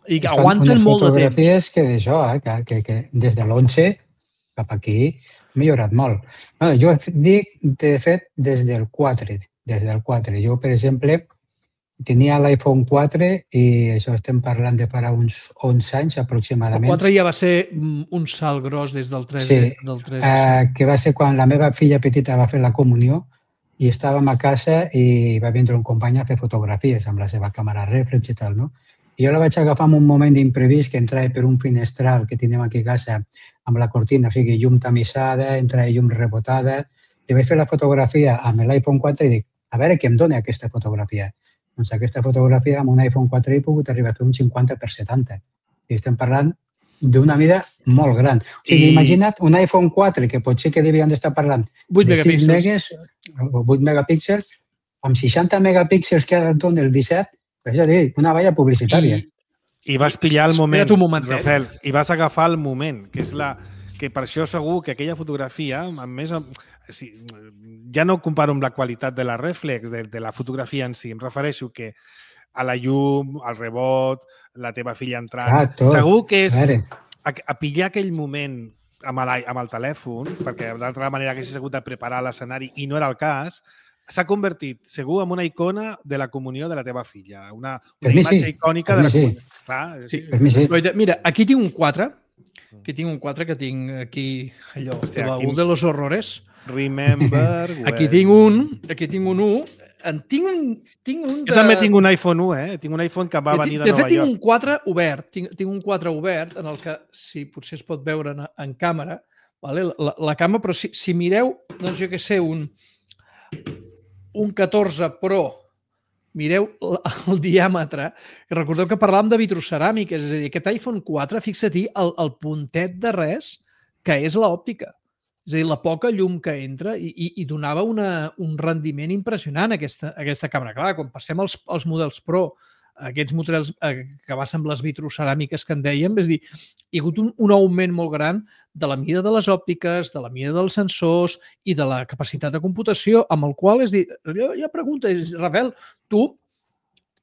I aguanten molt de temps. Fotografies que d'això, que des de l'11 cap aquí ha millorat molt. Jo dic, de fet, des del 4. Jo, per exemple, tenia l'iPhone 4 i això estem parlant de farà uns 11 anys aproximadament. El 4 ja va ser un salt gros des del 3. Sí, que va ser quan la meva filla petita va fer la comunió i estàvem a casa i va vindre un company a fer fotografies amb la seva càmera reflex i tal, no? I jo la vaig agafar en un moment d'imprevist que entrava per un finestral que tenim aquí a casa amb la cortina, o sigui, llum tamissada, entrava llum rebotada. I vaig fer la fotografia amb l'iPhone 4 i dic, a veure què em dona aquesta fotografia. Doncs aquesta fotografia amb un iPhone 4 he pogut arribar a fer un 50x70. I estem parlant d'una mida molt gran. O sigui, imagina't un iPhone 4 que potser que devien d'estar parlant de 6 megas o 8 megapíxels, amb 60 megapíxels que ara et dona el 17, és a dir, una valla publicitària. I vas pillar el moment, Rafael, i vas agafar el moment, que per això segur que aquella fotografia, a més, ja no comparo amb la qualitat de la reflex, de la fotografia en si, em refereixo que a la llum, al rebot, la teva filla entrant... Segur que és a pillar aquell moment amb el telèfon, perquè d'altra manera haguessis hagut de preparar l'escenari i no era el cas, s'ha convertit, segur, en una icona de la comunió de la teva filla. Una imatge icònica de la comunió. Clar, mira, aquí tinc un 4. Aquí tinc un 4 que tinc aquí, allò, un de los horrores. Remember... Aquí tinc un 1. Tinc un jo també tinc un iPhone 1, Tinc un iPhone que va venir de Nova York. De fet, tinc un 4 obert. Tinc un 4 obert en el que, si potser es pot veure en càmera, la càmera, però si mireu, doncs jo què sé, un 14 Pro mireu el diàmetre. Recordeu que parlàvem de vitroceràmiques, és a dir, aquest iPhone 4, fixa-t'hi el puntet de res que és l'òptica. És a dir, la poca llum que entra i donava un rendiment impressionant aquesta càmera. Clar, quan passem als models Pro, aquests models que basen les vitroceràmiques que en dèiem, és a dir, hi ha hagut un augment molt gran de la mida de les òptiques, de la mida dels sensors i de la capacitat de computació, amb el qual, és a dir, jo pregunto, Rafael, tu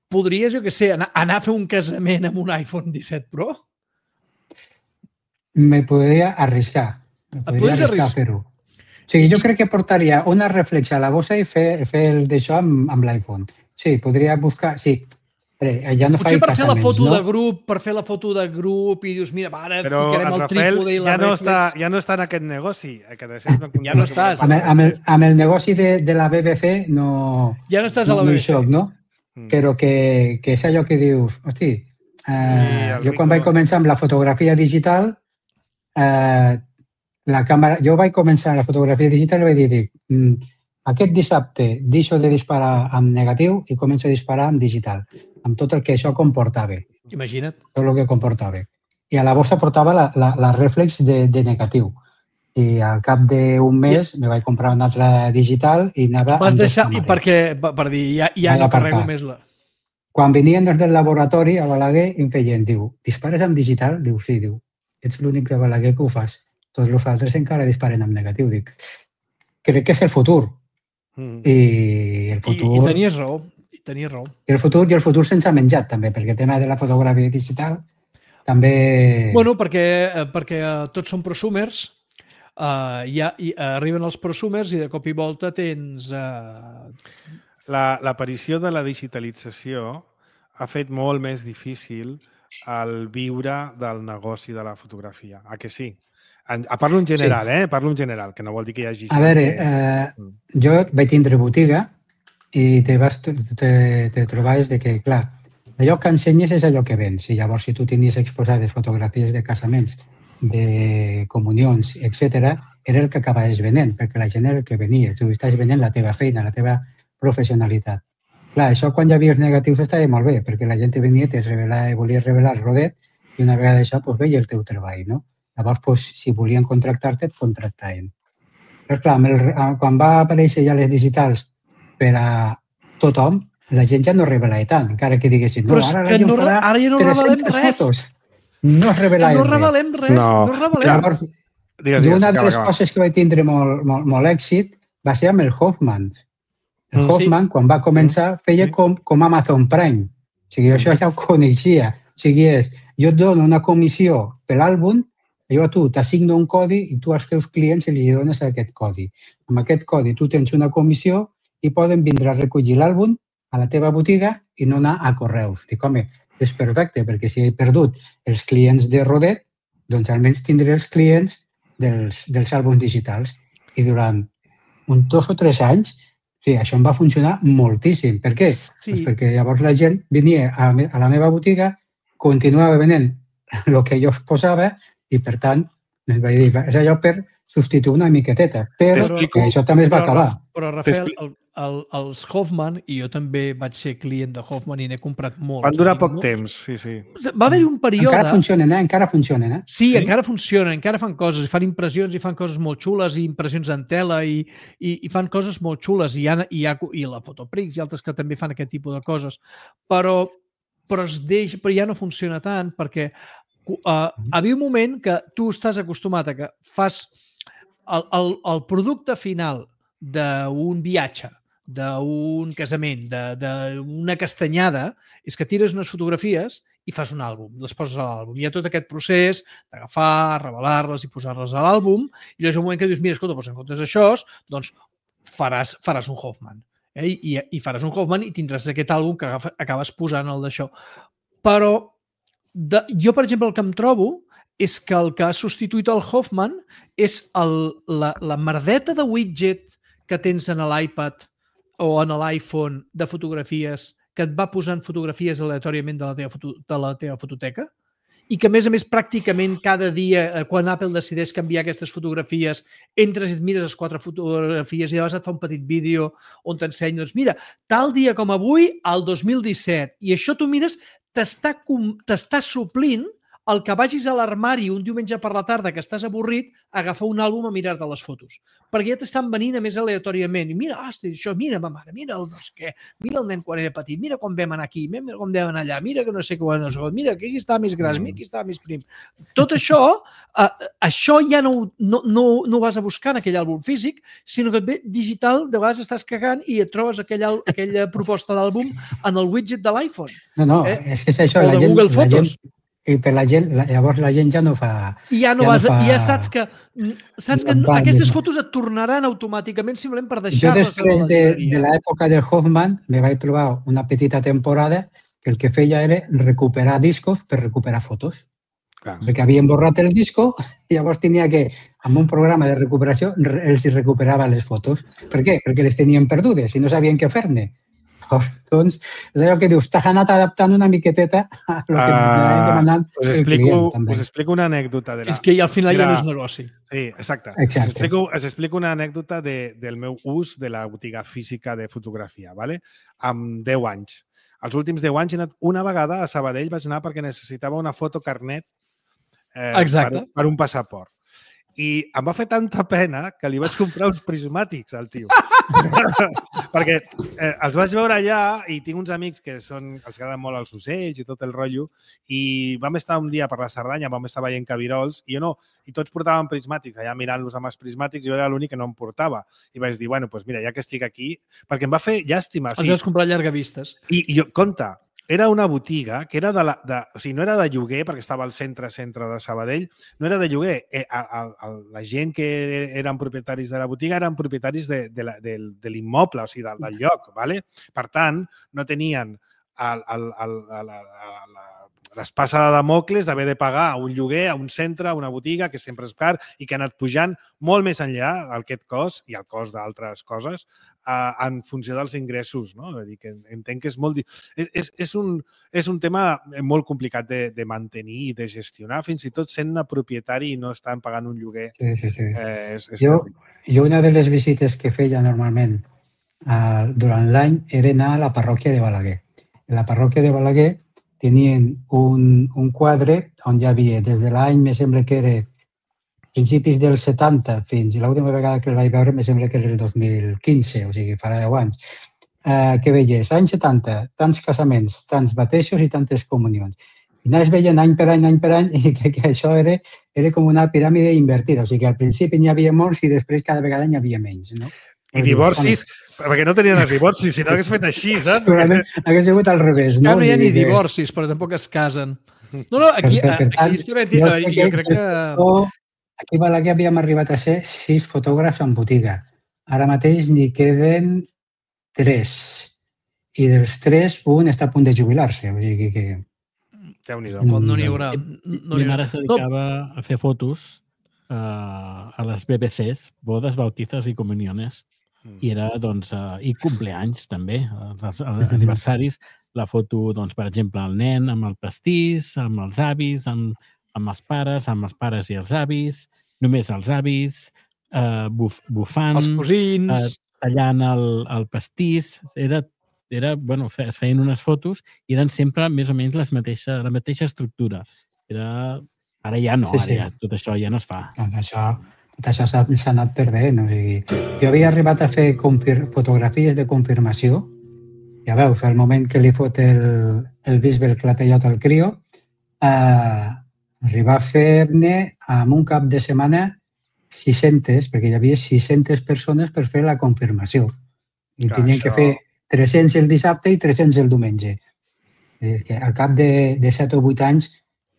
podries, jo què sé, anar a fer un casament amb un iPhone 17 Pro? Me podria arriscar. A fer-ho. O sigui, jo crec que portaria una reflex a la bossa i fer d'això amb l'iPhone. Sí, podria buscar... Sí, ja no faig per fer la foto no? de grup, per fer la foto de grup i dius, mira, ara però ficarem el trípode i la reflex. Ja no està en aquest negoci. Ja no estàs. Amb el negoci de la BBC no... Ja no estàs a la BBC. No hi soc, no? Però que és allò que dius, hosti, jo quan vaig començar amb la fotografia digital, la càmera, jo vaig començar la fotografia digital i vaig dir, aquest dissabte deixo de disparar amb negatiu i començo a disparar amb digital, amb tot el que això comportava. Imagina't. Tot el que comportava. I a la bossa portava la reflex de negatiu. I al cap d'un mes me vaig comprar una altra digital i anava... Vas deixar, per dir, ja no carrego més la... Quan venien des del laboratori a Balaguer em feien, diu, dispares amb digital? Diu, sí, diu, ets l'únic de Balaguer que ho fas. Tots els altres encara disparen amb negatiu. Dic, crec que és el futur. I el futur... I tenies raó. I el futur sense menjat, també, perquè el tema de la fotografia digital també... Bueno, perquè tots són prosumers, i arriben els prosumers i de cop i volta tens... L'aparició de la digitalització ha fet molt més difícil el viure del negoci de la fotografia. A que sí? Parlo en general, sí. Parlo en general, que no vol dir que hi hagi... A veure, jo vaig tindre botiga i te trobaves de que, clar, allò que ensenyes és allò que vens. I llavors, si tu tenies exposades fotografies de casaments, de comunions, etc., era el que acabaves venent, perquè la gent era el que venia. Tu estàs venent la teva feina, la teva professionalitat. Clar, això quan hi havia els negatius estava molt bé, perquè la gent venia, volia revelar el rodet i una vegada això veia el teu treball, no? Llavors, si volien contractar-te, et contractaven. Però clar, quan va aparèixer ja les digitals per a tothom, la gent ja no revelava tant, encara que diguessin, no, ara la gent farà 300 fotos. No revelem res. Llavors, una de les coses que vaig tindre molt èxit va ser amb el Hoffman. El Hoffman, quan va començar, feia com Amazon Prime. O sigui, això ja ho coneixia. O sigui, jo et dono una comissió per l'àlbum, jo a tu t'assigno un codi i tu als teus clients li dones aquest codi. Amb aquest codi tu tens una comissió i poden vindre a recollir l'àlbum a la teva botiga i no anar a correus. Dic, home, és perfecte, perquè si he perdut els clients de Rodet, doncs almenys tindré els clients dels àlbums digitals. I durant 2 o 3 anys, sí, això em va funcionar moltíssim. Per què? Sí. Pues perquè llavors la gent venia a la meva botiga, continuava venent el que jo posava i, per tant, vaig dir, és allò per substituir una miqueteta, però això també es va acabar. Però, Rafael, els Hoffman, i jo també vaig ser client de Hoffman i n'he comprat molts. Van durar poc temps, sí. Va haver-hi un període... Encara funcionen. Sí, encara funcionen, encara fan coses, fan impressions i fan coses molt xules, i impressions en tela, i fan coses molt xules, i la Fotoprix i altres que també fan aquest tipus de coses, però ja no funciona tant, perquè havia un moment que tu estàs acostumat a que fas el producte final d'un viatge, d'un casament, d'una castanyada, és que tires unes fotografies i fas un àlbum, les poses a l'àlbum. Hi ha tot aquest procés d'agafar, revelar-les i posar-les a l'àlbum, i llavors un moment que dius, mira, escolta, doncs en comptes d'això, doncs faràs un Hoffman. I faràs un Hoffman i tindràs aquest àlbum que acabes posant el d'això. Però jo, per exemple, el que em trobo és que el que ha substituït el Hoffman és la merdeta de widget que tens en l'iPad o en l'iPhone de fotografies que et va posant fotografies aleatòriament de la teva fototeca i que, a més, pràcticament cada dia, quan Apple decideix canviar aquestes fotografies, entres i et mires les 4 fotografies i llavors et fa un petit vídeo on t'ensenya, doncs mira, tal dia com avui, al 2017, i això tu mires, t'està suplint el que vagis a l'armari un diumenge per la tarda que estàs avorrit, agafar un àlbum a mirar-te les fotos. Perquè ja t'estan venint a més aleatòriament. I mira, això, mira ma mare, mira el no sé què, mira el nen quan era petit, mira com vam anar aquí, mira com vam anar allà, mira que no sé què, mira que aquí estava més gras, mira aquí estava més prim. Tot això, això ja no vas a buscar en aquell àlbum físic, sinó que et ve digital, de vegades estàs cagant i et trobes aquella proposta d'àlbum en el widget de l'iPhone. No, és que és això. O de Google Fotos. I per la gent, llavors la gent ja no fa... I ja saps que aquestes fotos et tornaran automàticament simplement per deixar-les a la galeria. Jo després de l'època del Hoffman me vaig trobar una petita temporada que el que feia era recuperar discos per recuperar fotos. Clar. Perquè havien borrat el disco i llavors tenia que, amb un programa de recuperació, els recuperava les fotos. Per què? Perquè les tenien perdudes i no sabien què fer-ne. Doncs, és allò que dius, t'has anat adaptant una miqueteta a el que m'anava demanant el client, també. Us explico una anècdota. És que al final ja no és negoci. Sí, exacte. Us explico una anècdota del meu ús de la botiga física de fotografia, ¿vale? Amb 10 anys. Els últims 10 anys he anat una vegada a Sabadell, vaig anar perquè necessitava una foto carnet per un passaport. I em va fer tanta pena que li vaig comprar uns prismàtics al tio. Perquè els vaig veure allà i tinc uns amics que els agraden molt els ocells i tot el rotllo i vam estar un dia per la Cerdanya, vam estar veient cabirols i tots portaven prismàtics, allà mirant-los amb els prismàtics, jo era l'únic que no em portava. I vaig dir, bueno, doncs mira, ja que estic aquí, perquè em va fer llàstima. Els vas comprar llargavistes. I jo, compte, era una botiga que era o sigui, no era de lloguer, perquè estava al centre de Sabadell, no era de lloguer. La gent que eren propietaris de la botiga eren propietaris de l'immoble, o sigui, del lloc. ¿Vale? Per tant, no tenien l'espasa de Damocles d'haver de pagar un lloguer a un centre, a una botiga, que sempre és car i que ha anat pujant molt més enllà aquest cost i el cost d'altres coses en funció dels ingressos. No? Vull dir que entenc que és molt... És un tema molt complicat de mantenir i de gestionar, fins i tot sent propietari i no estan pagant un lloguer. Sí. Jo una de les visites que feia normalment durant l'any era anar a la parròquia de Balaguer. En la parròquia de Balaguer tenien un quadre on hi havia, des de l'any, me sembla que era principis dels 70 fins i l'última vegada que el vaig veure me sembla que era el 2015, o sigui, farà 10 anys, que veies, anys 70, tants casaments, tants batejos i tantes comunions. I anaves veient any per any i que això era com una piràmide invertida, o sigui que al principi n'hi havia molts i després cada vegada n'hi havia menys, no? I divorcis, perquè no tenien els divorcis, si no hagués fet així, saps? Segurament hagués sigut al revés, no? No hi ha ni divorcis, però tampoc es casen. No, aquí estic mentint, jo crec que... Aquí a Balaguer havíem arribat a ser 6 fotògrafs en botiga. Ara mateix n'hi queden 3. I dels 3, un està a punt de jubilar-se. O sigui que... Déu-n'hi-do. No n'hi haurà. Mi mare se dedicava a fer fotos a les BBCs, bodes, bautizos i comuniones. I era, doncs, i compleanys, també, els aniversaris. La foto, doncs, per exemple, el nen amb el pastís, amb els avis, amb els pares i els avis, només els avis, bufant, els cosins, tallant el pastís. Bueno, es feien unes fotos i eren sempre més o menys la mateixa estructura. Ara ja no, ara tot això ja no es fa. Tot això s'ha anat perdent. O sigui, jo havia arribat a fer fotografies de confirmació. Ja veus, al moment que li fot el bisbe el clatellot al crio, arribar a fer-ne en un cap de setmana 600, perquè hi havia 600 persones per fer la confirmació. I tenien que fer 300 el dissabte i 300 el diumenge. Al cap de 7 o 8 anys,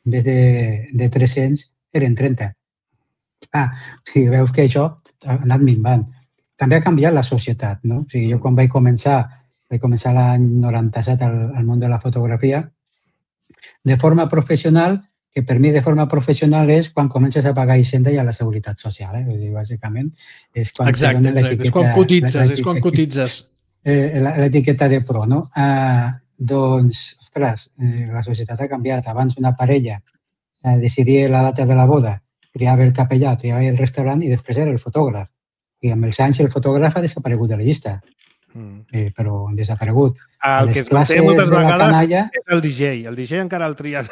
en vez de 300, eren 30. Veus que això ha anat minvant. També ha canviat la societat, no? O sigui, jo quan vaig començar l'any 97 al món de la fotografia, de forma professional, que per mi de forma professional és quan comences a pagar Hisenda i a la Seguretat Social. Vull dir, bàsicament, és quan és quan cotitzes. L'etiqueta de pro, no? Doncs, ostres, la societat ha canviat. Abans una parella decidia la data de la boda, triava el capellà, triava el restaurant i després era el fotògraf. I amb els anys el fotògraf ha desaparegut de la llista. Però han desaparegut. El que es manté moltes vegades és el DJ. El DJ encara el trien,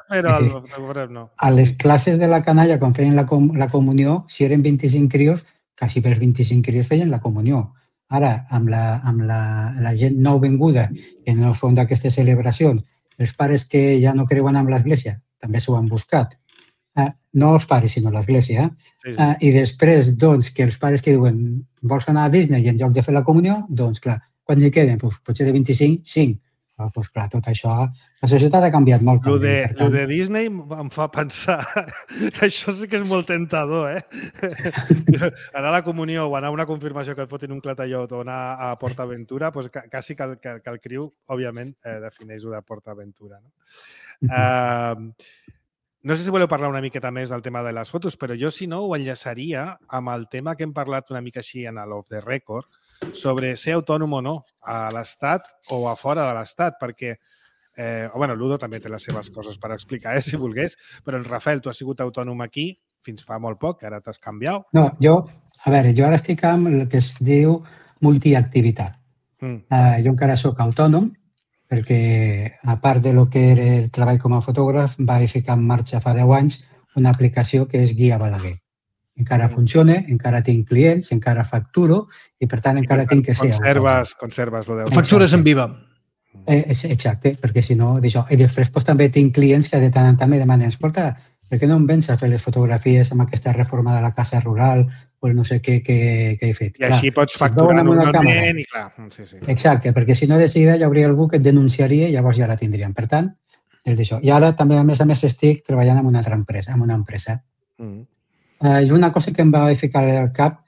però el fotògraf no. A les classes de la canalla, quan feien la comunió, si eren 25 crios, quasi pels 25 crios feien la comunió. Ara, amb la gent nouvinguda, que no són d'aquestes celebracions, els pares que ja no creuen en l'església, també s'ho han buscat. No els pares, sinó l'església. I després, doncs, que els pares que diuen vols anar a Disney i en lloc de fer la comunió, doncs, clar, quan hi queden? Potser de 25, 5. Doncs, clar, tot això... La societat ha canviat molt. Lo de Disney em fa pensar que això sí que és molt tentador, Anar a la comunió o anar a una confirmació que et fotin un clatallot o anar a PortAventura, doncs quasi que el criu, òbviament, defineix-ho de PortAventura. No sé si voleu parlar una miqueta més del tema de les fotos, però jo, si no, ho enllaçaria amb el tema que hem parlat una mica així en l'off the record, sobre ser autònom o no a l'Estat o a fora de l'Estat, perquè, Ludo també té les seves coses per explicar, si volgués, però en Rafael, tu has sigut autònom aquí fins fa molt poc, ara t'has canviat. No, jo ara estic amb el que es diu multiactivitat. Jo encara soc autònom, perquè a part de lo que era el treball com a fotògraf, vaig ficar en marxa fa 10 anys una aplicació que és Guia Balaguer. Encara funciona, encara tinc clients, encara facturo i per tant encara tinc que ser autònom. Conserves lo de... Factures en viva. Exacte, perquè si no, d'això. I després també tinc clients que de tant en tant me demanen escolta, per què no em vens a fer les fotografies amb aquesta reforma de la casa rural o no sé què he fet? I així pots facturar normalment i clar. Sí. Exacte, perquè si no de seguida hi hauria algú que et denunciaria i llavors ja la tindrien. Per tant, és d'això. I ara també, a més, estic treballant en una altra empresa, I una cosa que em va ficar al cap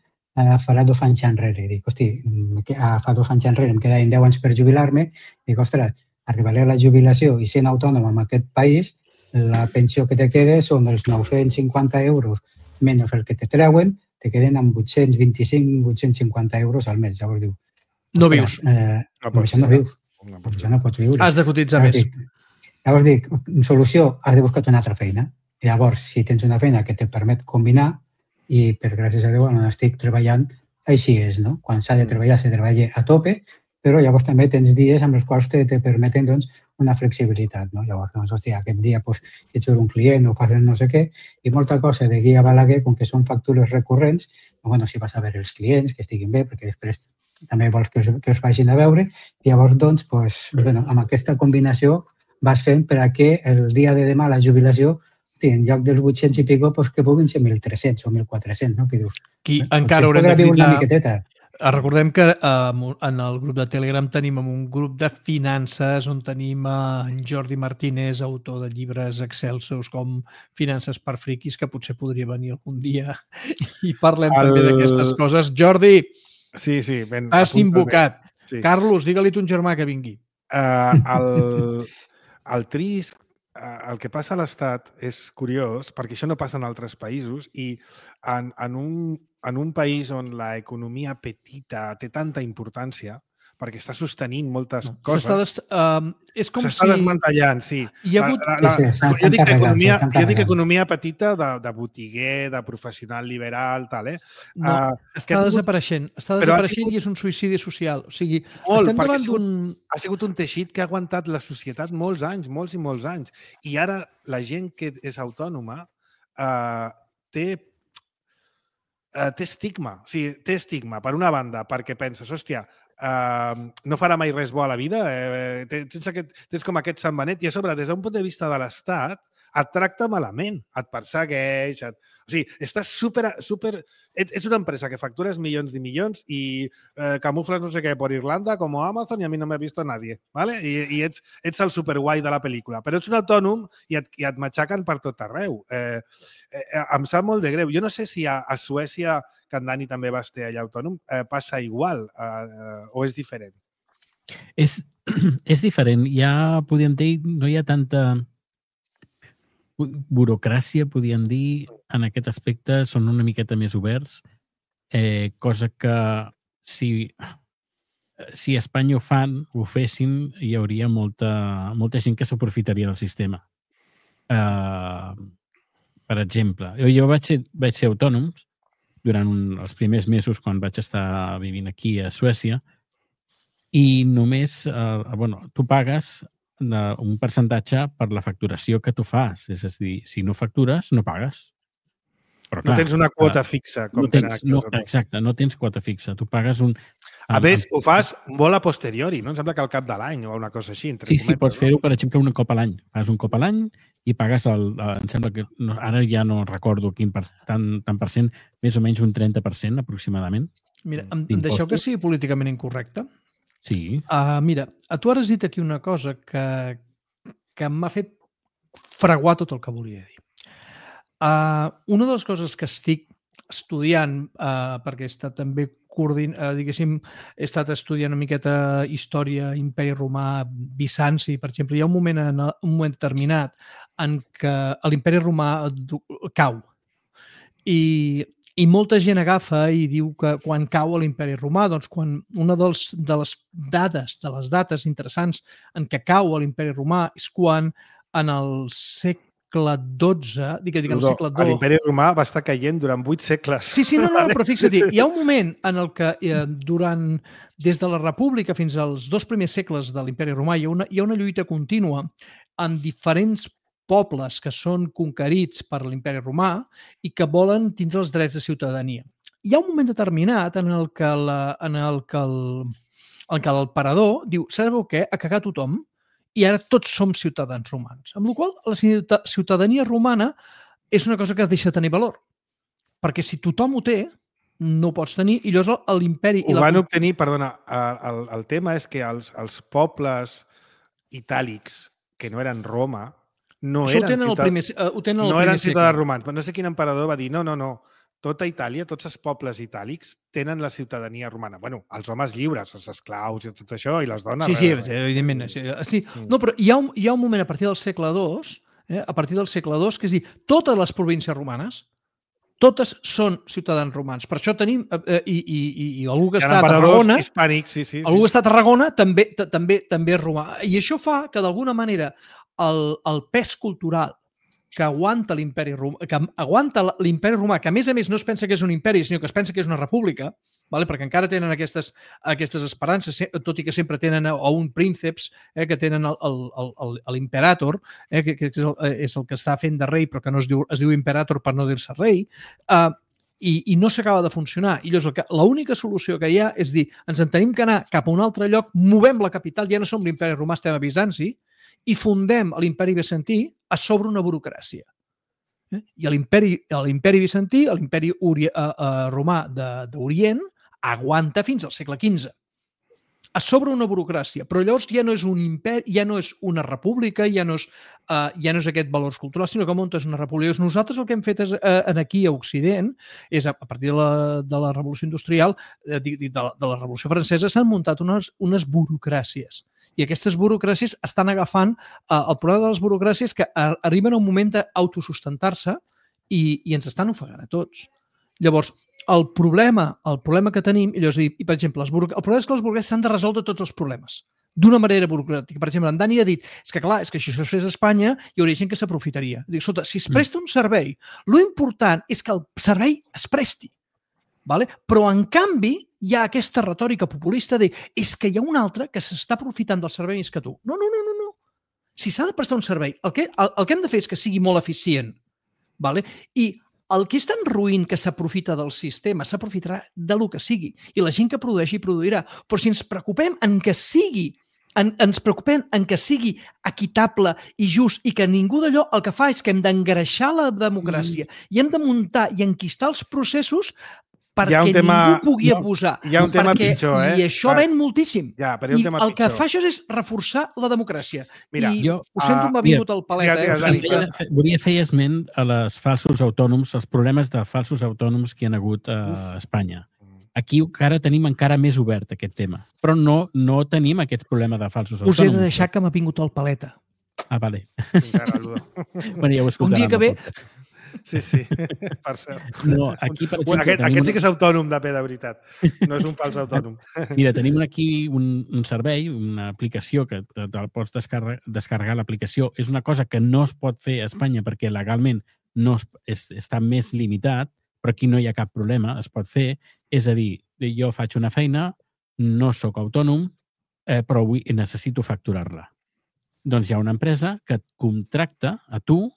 farà 2 anys enrere. Dic, hosti, fa 2 anys enrere em quedaven 10 anys per jubilar-me. Dic, ostres, arribaré a la jubilació i sent autònom en aquest país, la pensió que te queda són els 950 euros menys el que te treuen, te queden amb 825-850 euros al mes. Llavors diu... No vius. Amb això no vius. Amb això no pots viure. Has de cotitzar més. Llavors dic, solució, has de buscar una altra feina. Llavors, si tens una feina que te permet combinar, i per gràcies a Déu on estic treballant, així és, no? Quan s'ha de treballar, se treballa a tope, però llavors també tens dies amb els quals te permeten una flexibilitat. Llavors, hòstia, aquest dia ets un client o fas no sé què, i molta cosa de Guia Balaguer, com que són factures recurrents, si vas a veure els clients, que estiguin bé, perquè després també vols que els vagin a veure, i llavors, amb aquesta combinació vas fent per a que el dia de demà, la jubilació, en lloc dels 800 i pico, que puguin ser 1.300 o 1.400, no? Que dius, encara haurem de viure una miqueteta. Recordem que en el grup de Telegram tenim un grup de finances on tenim en Jordi Martínez, autor de llibres excelsos com Finances per friquis, que potser podria venir algun dia i parlem també d'aquestes coses. Jordi, sí, has invocat. Sí. Carlos, digue-li a ton germà que vingui. El trist, el que passa a l'Estat és curiós, perquè això no passa en altres països i en un país on l'economia petita té tanta importància, perquè està sostenint moltes coses. S'està desmantellant, sí. Jo dic economia petita de botiguer, de professional liberal, tal, No, està desapareixent. Està desapareixent i és un suïcidi social. O sigui, estem davant d'un... Ha sigut un teixit que ha aguantat la societat molts i molts anys. I ara la gent que és autònoma té estigma. O sigui, té estigma, per una banda, perquè penses, hòstia, no farà mai res bo a la vida, tens com aquest Sant Benet, i a sobre, des d'un punt de vista de l'Estat, et tracta malament, et persegueix, o sigui, estàs super... Ets una empresa que factures milions i milions i camufles no sé què per Irlanda com Amazon i a mi no m'ha vist nadie, ¿vale? I ets el superguai de la pel·lícula, però ets un autònom i et matxaquen per tot arreu. Em sap molt de greu. Jo no sé si a Suècia, que en Dani també va estar allà autònom, passa igual o és diferent? És diferent. Ja, podríem dir, no hi ha tanta burocràcia, podríem dir, en aquest aspecte, són una miqueta més oberts, cosa que si a Espanya ho fessin, hi hauria molta gent que s'aprofitaria del sistema. per exemple, jo vaig ser autònom durant els primers mesos quan vaig estar vivint aquí a Suècia i només, tu pagues un percentatge per la facturació que tu fas. És a dir, si no factures, no pagues. Però, clar, no tens una quota fixa, com tenen aquí. Exacte, no tens quota fixa. Tu pagues un... A més, ho fas molt a posteriori, no? Em sembla que al cap de l'any o una cosa així. Sí, pots fer-ho, per exemple, un cop a l'any. Fas un cop a l'any i pagues em sembla que ara ja no recordo quin tant per cent, més o menys un 30% aproximadament. Mira, em deixeu que sigui políticament incorrecte? Sí. Mira, tu ara has dit aquí una cosa que m'ha fet fraguar tot el que volia dir. Una de les coses que estic estudiant, perquè he estat també he estat estudiant una miqueta història, imperi romà, Bizanci, per exemple, hi ha un moment determinat en què l'imperi romà cau. I molta gent agafa i diu que quan cau l'imperi romà, doncs quan una de les dates interessants en què cau l'imperi romà és quan en el segle XII, el segle II... L'imperi romà va estar caient durant 8 segles. Sí, no, però fixa't, hi ha un moment en el que des de la República fins als 2 primers segles de l'imperi romà hi ha una lluita contínua amb diferents pobles que són conquerits per l'imperi romà i que volen tindre els drets de ciutadania. Hi ha un moment determinat en el que l'emperador diu, sabeu què? Ha cagat tothom i ara tots som ciutadans romans. Amb la qual cosa, la ciutadania romana és una cosa que deixa de tenir valor. Perquè si tothom ho té, no ho pots tenir, i llavors l'imperi... Ho van obtenir, perdona, el tema és que els pobles itàlics, que no eren Roma, no eren ciutadans romans. No sé quin emperador va dir, no, tota Itàlia, tots els pobles itàlics tenen la ciutadania romana. Bueno, els homes lliures, els esclaus i tot això, i les dones... Sí, evidentment. Sí. No, però hi ha un moment a partir del segle II, que és dir, totes les províncies romanes, totes són ciutadans romans. Per això tenim... I algú que està a Tarragona... Algú que està a Tarragona també és romà. I això fa que, d'alguna manera, el pes cultural que aguanta l'imperi romà, que a més no es pensa que és un imperi, sinó que es pensa que és una república, perquè encara tenen aquestes esperances, tot i que sempre tenen un prínceps, que tenen l'imperator, que és el que està fent de rei, però que no es diu imperator per no dir-se rei, i no s'acaba de funcionar. I llavors l'única solució que hi ha és dir, ens en tenim que anar cap a un altre lloc, movem la capital, ja no som l'imperi romà, estem a Bizanci, i fundem l'imperi bizantí a sobre una burocràcia. I l'imperi bizantí, l'imperi romà d'Orient, aguanta fins al segle XV. A sobre una burocràcia. Però llavors ja no és un imperi, ja no és una república, ja no és aquest valors culturals, sinó que muntes una república. Nosaltres el que hem fet aquí a Occident és, a partir de la Revolució Industrial, de la Revolució Francesa, s'han muntat unes burocràcies. I aquestes burocràcies estan agafant... El problema de les burocràcies és que arriben a un moment d'autosustentar-se i ens estan ofegant a tots. Llavors, el problema que tenim, i per exemple, el problema és que les burocràcies s'han de resoldre tots els problemes d'una manera burocràtica. Per exemple, en Dani ha dit, és que si això es fes a Espanya, hi hauria gent que s'aprofitaria. Dic, escolta, si es presta un servei, l'important és que el servei es presti. Però, en canvi, hi ha aquesta retòrica populista de és que hi ha un altre que s'està aprofitant del servei més que tu. No. Si s'ha de prestar un servei, el que hem de fer és que sigui molt eficient. I el que és tan ruïn que s'aprofita del sistema s'aprofitarà del que sigui. I la gent que produeixi produirà. Però si ens preocupem en que sigui equitable i just i que ningú d'allò el que fa és que hem d'engreixar la democràcia i hem de muntar i enquistar els processos perquè ningú pugui abusar. Hi ha un tema pitjor, I això ven moltíssim. I el que fa això és reforçar la democràcia. I ho sento, m'ha vingut el palet. Volia fer esment a les falsos autònoms, els problemes de falsos autònoms que hi ha hagut a Espanya. Aquí encara tenim més obert aquest tema, però no tenim aquest problema de falsos autònoms. Us he de deixar que m'ha vingut el paleta. Vale. Bueno, ja ho escoltarem. Un dia que ve... Sí, per cert. No, aquí, per exemple... Aquest sí que és autònom de veritat. No és un fals autònom. Mira, tenim aquí un servei, una aplicació que te'l pots descarregar l'aplicació. És una cosa que no es pot fer a Espanya perquè legalment està més limitat, però aquí no hi ha cap problema, es pot fer. És a dir, jo faig una feina, no sóc autònom, però necessito facturar-la. Doncs hi ha una empresa que et contracta a tu,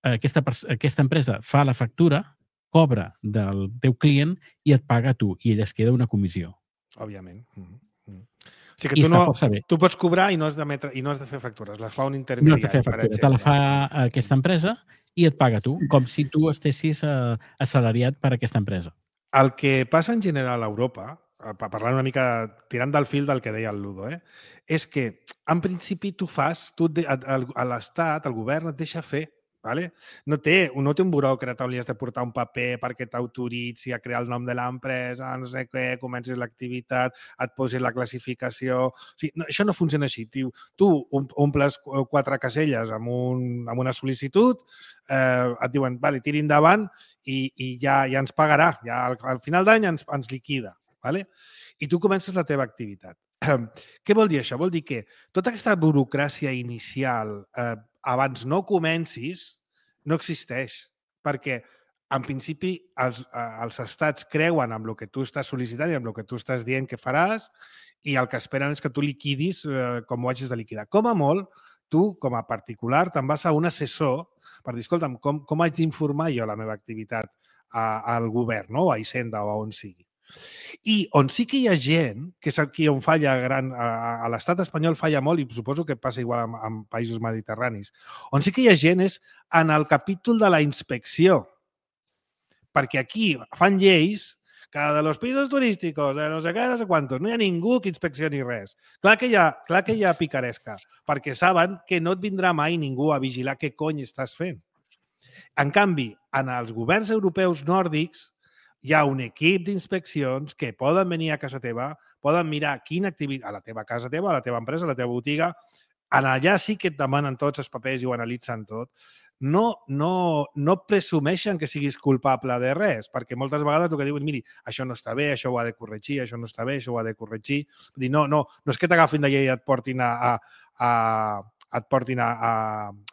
aquesta empresa fa la factura, cobra del teu client i et paga a tu, i ell es queda una comissió. Òbviament. O sigui que tu pots cobrar i no has de fer factures, les fa un intermediari. No has de fer factures, te la fa aquesta empresa i et paga tu, com si tu estessis assalariat per aquesta empresa. El que passa en general a Europa, parlant una mica, tirant del fil del que deia el Ludo, és que, en principi, l'Estat, el govern, et deixa fer. No té un buròcrata on li has de portar un paper perquè t'autoritzi a crear el nom de l'empresa, no sé què, comencis l'activitat, et posis la classificació... O sigui, això no funciona així. Tu omples 4 caselles amb una sol·licitud, et diuen, tiri endavant i ja ens pagarà. Al final d'any ens liquida. I tu comences la teva activitat. Què vol dir això? Vol dir que tota aquesta burocràcia inicial, abans no comencis, no existeix. Perquè, en principi, els estats creuen en el que tu estàs sol·licitant i en el que tu estàs dient que faràs i el que esperen és que tu liquidis com ho hagis de liquidar. Com a molt, tu, com a particular, te'n vas a un assessor per dir, escolta'm, com haig d'informar jo la meva activitat al govern, o a Hisenda o a on sigui. I on sí que hi ha gent, que és aquí on falla a l'estat espanyol falla molt, i suposo que passa igual en països mediterranis, on sí que hi ha gent és en el capítol de la inspecció. Perquè aquí fan lleis que de los pisos turísticos, de no sé què, no sé quantos, no hi ha ningú que inspeccioni res. Clar que hi ha picaresca, perquè saben que no et vindrà mai ningú a vigilar què cony estàs fent. En canvi, en els governs europeus nòrdics, hi ha un equip d'inspeccions que poden venir a casa teva, poden mirar quina activitat, a la teva casa teva, a la teva empresa, a la teva botiga, allà sí que et demanen tots els papers i ho analitzen tot. No presumeixen que siguis culpable de res, perquè moltes vegades el que diuen, miri, això no està bé, això ho ha de corregir, això no està bé, això ho ha de corregir. No és que t'agafin d'allà i et portin a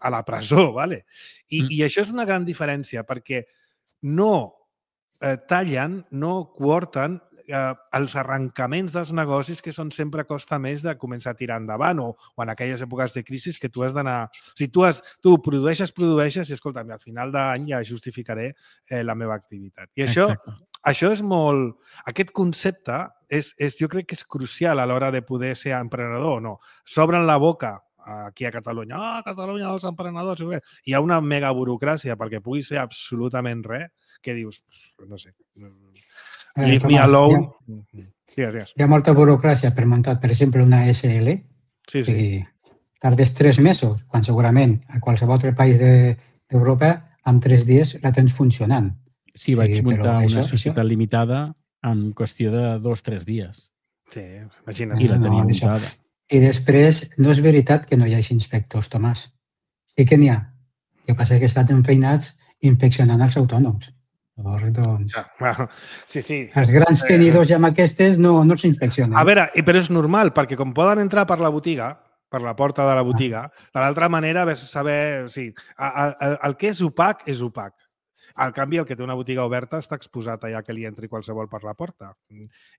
la presó, ¿vale? I això és una gran diferència, perquè no tallen, no cohorten els arrencaments dels negocis que són sempre costa més de començar a tirar endavant o en aquelles èpoques de crisi que tu has d'anar... O sigui, tu produeixes i, escolta'm, al final d'any ja justificaré la meva activitat. I això és molt... Aquest concepte jo crec que és crucial a l'hora de poder ser emprenedor o no. S'obren la boca aquí a Catalunya. Catalunya dels emprenedors. Hi ha una mega burocràcia perquè puguis fer absolutament res que dius, no sé, leave me alone. Hi ha molta burocràcia per muntar, per exemple, una SL. Sí. Tardes 3 mesos, quan segurament a qualsevol altre país d'Europa en 3 dies la tens funcionant. Sí, vaig muntar una societat limitada en qüestió de 2-3 dies. Sí, imagina't. I la tenia muntada. I després, no és veritat que no hi hagi inspectors, Tomàs. Sí que n'hi ha. El que passa és que estan enfeinats inspeccionant els autònoms. Doncs, sí. Els grans tenidors ja amb aquestes no s'inspeccionen. A veure, però és normal, perquè com poden entrar per la botiga, per la porta de la botiga, de l'altra manera ves a saber... Sí, el que és opac, és opac. Al canvi, el que té una botiga oberta està exposat allà que li entri qualsevol per la porta.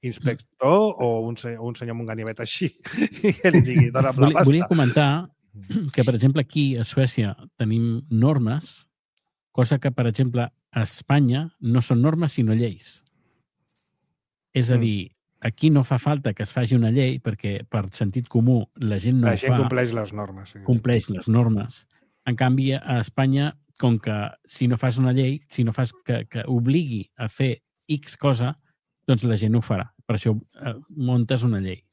Inspector o un senyor amb un ganivet així que li digui, dona'm la pasta. Volia comentar que, per exemple, aquí a Suècia tenim normes, cosa que, per exemple, a Espanya no són normes sinó lleis. És a dir, aquí no fa falta que es faci una llei perquè per sentit comú la gent no ho fa. La gent compleix les normes. Sí. Compleix les normes. En canvi, a Espanya, com que si no fas una llei, si no fas que obligui a fer X cosa, doncs la gent ho farà. Per això muntes una llei.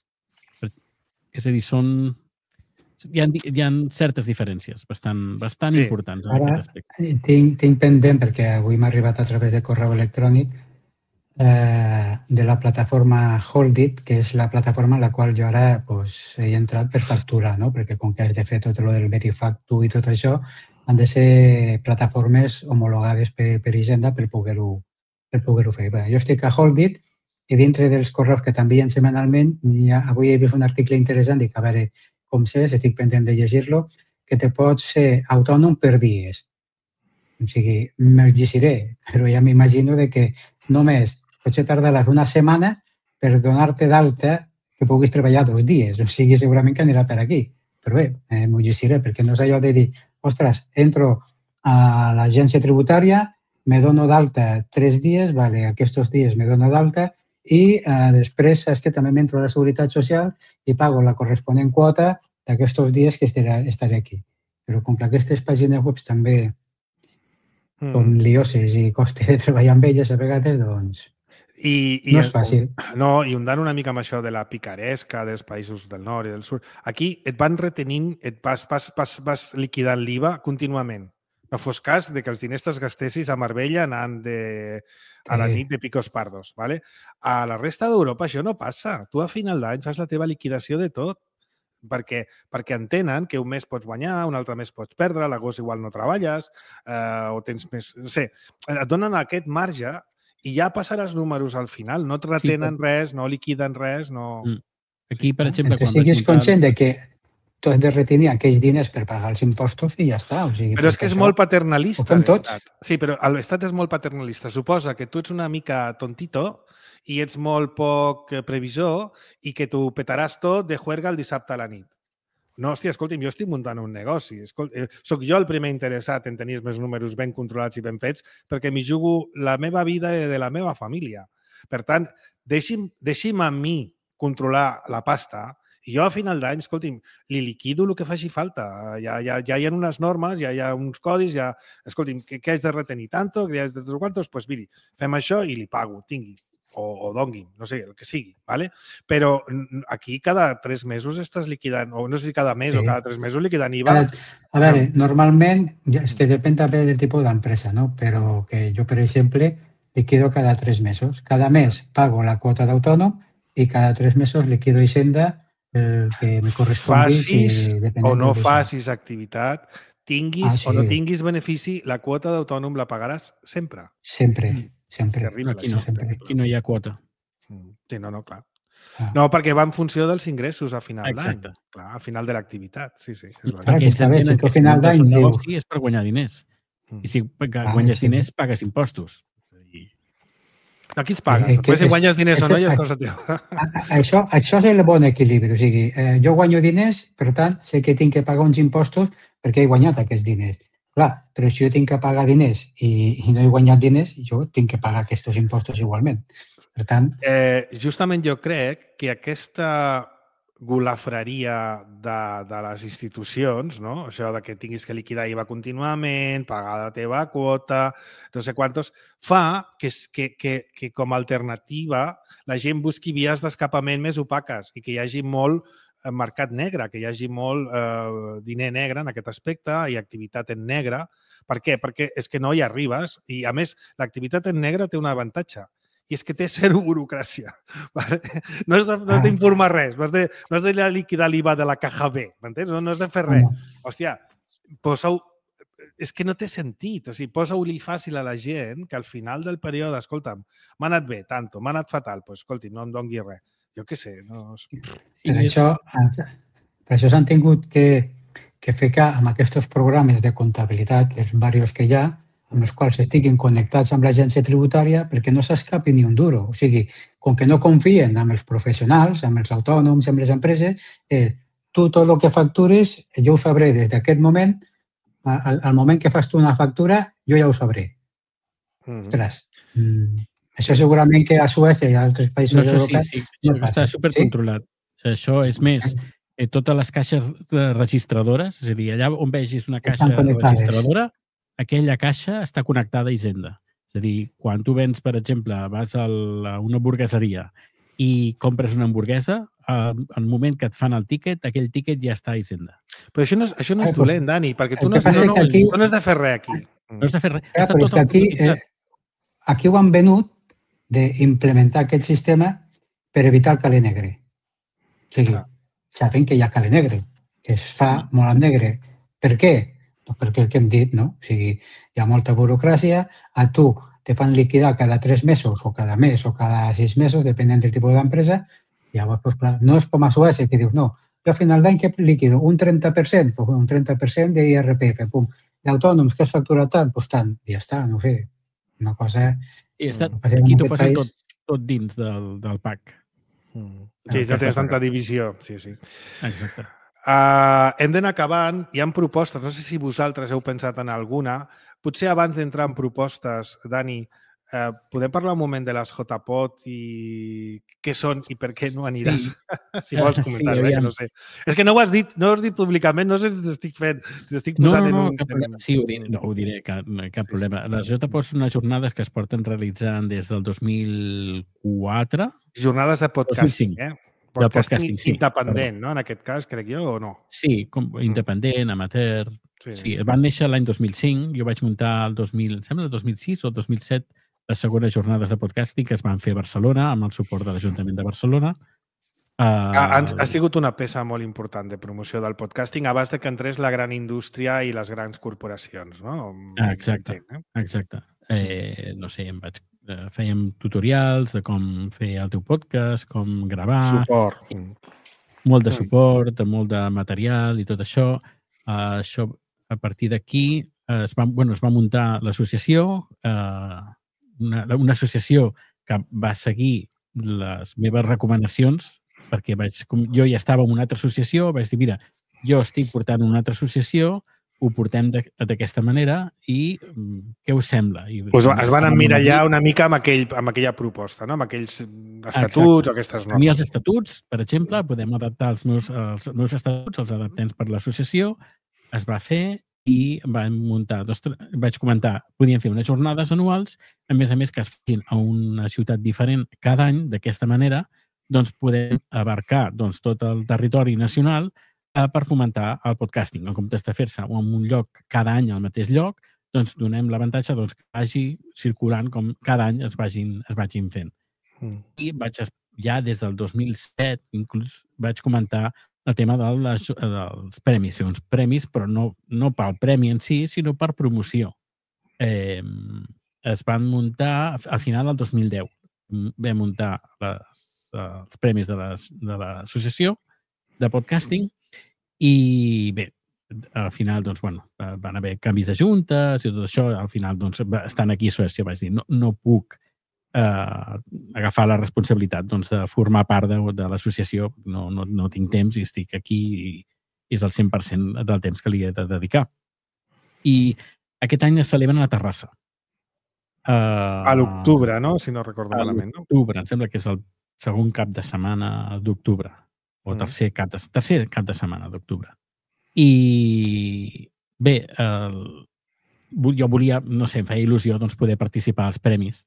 És a dir, hi ha certes diferències bastant importants en aquest aspecte. Tinc pendent, perquè avui m'ha arribat a través de correu electrònic, de la plataforma Holdit, que és la plataforma en la qual jo ara he entrat per facturar, no? Perquè com que has de fer tot el del Verifactu i tot això, han de ser plataformes homologades per Hisenda per poder-ho fer. Bé, jo estic a Holdit i dintre dels correus que t'envien setmanalment, avui he vist un article interessant, dic, a veure com és, estic pendent de llegir-lo, que te pots ser autònom per dies. O sigui, me'l llegiré, però ja m'imagino que només potser tardaràs una setmana per donar-te d'alta que puguis treballar 2 dies. O sigui, segurament que anirà per aquí. Però bé, m'ho llegiré, perquè no és allò de dir, ostres, entro a l'agència tributària, me dono d'alta 3 dies, vale, aquests dies me dono d'alta i després saps que també m'entro a la Seguretat Social i pago la corresponent quota d'aquests dies que estaré aquí. Però com que aquestes pàgines web també són lioses i costa de treballar amb elles a vegades, doncs no és fàcil. No, i ondant una mica amb això de la picaresca dels països del nord i del sud, aquí et van retenint, vas liquidant l'IVA contínuament. No fos cas de que els diners te'ls gastessis a Marbella anant a la nit de picos pardos. ¿vale? A la resta d'Europa això no passa. Tu a final d'any fas la teva liquidació de tot perquè entenen que un mes pots guanyar, un altre mes pots perdre, a l'agost igual no treballes o tens més... No sé, et donen aquest marge i ja passaràs números al final. No et retenen res, no liquiden res, no... Aquí, per exemple... Que siguis conscient de que tu has de retenir aquells diners per pagar els impostos i ja està. O sigui, però és que és molt paternalista l'Estat. Sí, però l'Estat és molt paternalista. Suposa que tu ets una mica tontito i ets molt poc previsor i que tu petaràs tot de juerga el dissabte a la nit. No, hòstia, escolti'm, jo estic muntant un negoci. Soc jo el primer interessat en tenir els meus números ben controlats i ben fets perquè m'hi jugo la meva vida i de la meva família. Per tant, deixi'm a mi controlar la pasta i jo a final d'any, escolti'm, li liquido el que faci falta. Ja hi ha unes normes, ja hi ha uns codis, ja... Escolti'm, què haig de retenir tanto, què haig de tres quantos? Doncs miri, fem això i li pago, tingui. O dongui, no sé, el que sigui, ¿vale? Però aquí cada 3 mesos estàs liquidant, o no sé si cada mes o cada 3 mesos liquidant IVA. A veure, normalment, és que depèn també del tipus d'empresa, no? Però que jo, per exemple, liquido cada 3 mesos. Cada mes pago la quota d'autònom i cada 3 mesos liquido Hisenda el que me correspongui. Facis o no facis activitat, tinguis o no tinguis benefici, la quota d'autònom la pagaràs sempre. Sempre. Aquí no hi ha quota. Sí, no, clar. No, perquè va en funció dels ingressos a final d'any. Clar, al final de l'activitat, sí. Perquè ells entenen que al final d'any és per guanyar diners. I si guanyes diners, pagues impostos. Aquí els pagues. Després si guanyes diners o no, ja és cosa teva. Això és el bon equilibri. O sigui, jo guanyo diners, per tant, sé que tinc que pagar uns impostos perquè he guanyat aquests diners. Clar, però si jo tinc que pagar diners i no he guanyat diners, jo tinc que pagar aquests impostos igualment. Per tant... Justament jo crec que aquesta golafreria de les institucions, no? Això de que tinguis que liquidar IVA contínuament, pagar la teva quota, no sé quantos, fa que com a alternativa la gent busqui vies d'escapament més opaques i que hi hagi molt mercat negre, que hi hagi molt diner negre en aquest aspecte i activitat en negre. Per què? Perquè és que no hi arribes i, a més, l'activitat en negre té un avantatge i és que té zero burocràcia. No has d'informar res, no has de liquidar l'IVA de la caja B, m'entens? No has de fer res. Hòstia, posa-ho... És que no té sentit. O sigui, posa-ho-li fàcil a la gent que al final del període, escolta'm, m'ha anat bé, tanto, m'ha anat fatal, doncs escolti, no em doni res. Jo què sé, no... Per això s'han tingut que ficar amb aquests programes de comptabilitat, els diversos que hi ha, amb els quals estiguin connectats amb l'agència tributària perquè no s'escapi ni un duro. O sigui, com que no confien en els professionals, amb els autònoms, amb les empreses, tu tot el que factures, jo ho sabré des d'aquest moment, al moment que fas tu una factura, jo ja ho sabré. Ostres, això segurament que a Suècia i a altres països europeus no passa. Està supercontrolat. Això és més, totes les caixes registradores, és a dir, allà on vegis una caixa registradora, aquella caixa està connectada a Hisenda. És a dir, quan tu vens, per exemple, vas a una hamburgueseria i compres una hamburguesa, en el moment que et fan el tíquet, aquell tíquet ja està a Hisenda. Però això no és dolent, Dani, perquè tu no has de fer res aquí. No has de fer res. Està tot automatitzat. Aquí ho han venut d'implementar aquest sistema per evitar el caler negre. O sigui, saben que hi ha caler negre, que es fa molt en negre. Per què? perquè el que hem dit, no? O sigui, hi ha molta burocràcia, a tu te fan liquidar cada 3 mesos o cada mes o cada 6 mesos, depenent del tipus d'empresa, i llavors, pues, clar, no és com a Suècia, que dius, no, jo a final d'any que liquido un 30%, o un 30% d'IRPF, pum, d'autònoms que has facturat tant, doncs tant, i ja està, no sé, una cosa... I aquí t'ho posa tot dins del PAC. Sí, no tens tanta divisió, sí. Exacte. Hem d'anar acabant. Hi ha propostes, no sé si vosaltres heu pensat en alguna. Potser abans d'entrar en propostes, Dani, podem parlar un moment de les JPOD i què són i per què no aniràs? Sí. Si vols comentar-ho, que no sé. És que no ho has dit públicament, no sé si t'estic fent, si t'estic posant no, cap problema. Sí, ho diré, cap problema. Les JPOD són unes jornades que es porten realitzant des del 2004. Jornades de podcasting, 2005. De podcasting, sí. Independent, no? En aquest cas, crec jo, o no? Sí, independent, amateur... Sí, van néixer l'any 2005, jo vaig muntar el 2006 o el 2007 les segones jornades de podcasting que es van fer a Barcelona amb el suport de l'Ajuntament de Barcelona. Ha sigut una peça molt important de promoció del podcasting abans de que entrés la gran indústria i les grans corporacions, no? Exacte. No sé, fèiem tutorials de com fer el teu podcast, com gravar... Suport. Molt de suport, molt de material i tot això. Això, a partir d'aquí, es va muntar l'associació, una associació que va seguir les meves recomanacions, perquè jo ja estava en una altra associació, vaig dir, mira, jo estic portant una altra associació, ho portem d'aquesta manera i què us sembla? Es van emmirallar una mica amb aquella proposta, no? Amb aquells estatuts o aquestes normes. A mi els estatuts, per exemple, podem adaptar els meus estatuts, els adaptem per l'associació, es va fer i vam muntar, vaig comentar, podíem fer unes jornades anuals, a més que es facin a una ciutat diferent cada any, d'aquesta manera, doncs podem abarcar tot el territori nacional per fomentar el podcasting. En comptes de fer-se en un lloc cada any al mateix lloc, doncs donem l'avantatge que vagi circulant com cada any es vagin fent. I ja des del 2007 inclús vaig comentar el tema dels premis. Uns premis, però no pel premi en si, sinó per promoció. Es van muntar al final del 2010. Vam muntar els premis de l'associació de podcasting i bé, al final van haver canvis de juntes i tot això. Al final, estant aquí a Suècia, vaig dir no puc agafar la responsabilitat de formar part de l'associació. No tinc temps i estic aquí i és el 100% del temps que li he de dedicar. I aquest any es celebren a Terrassa. A l'octubre, no? Si no recordo malament. A l'octubre, em sembla que és el segon cap de setmana d'octubre o tercer cap de setmana d'octubre. I bé, jo volia, no sé, em feia il·lusió poder participar als premis.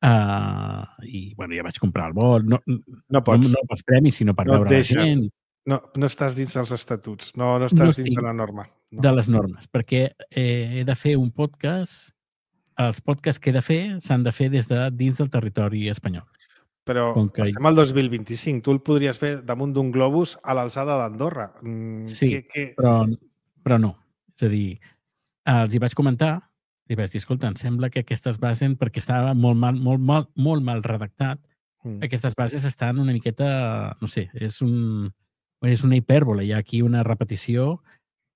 I, ja vaig comprar el vol. No pels premis, sinó per veure la gent. No estàs dins dels estatuts, no estàs dins de la norma. De les normes, perquè he de fer un podcast. Els podcasts que he de fer s'han de fer dins del territori espanyol. Però estem al 2025. Tu el podries fer damunt d'un globus a l'alçada d'Andorra. Sí, però no. És a dir, els hi vaig comentar i vaig dir, escolta, em sembla que aquestes bases, perquè estava molt mal redactat, aquestes bases estan una miqueta, no sé, és una hipèrbole. Hi ha aquí una repetició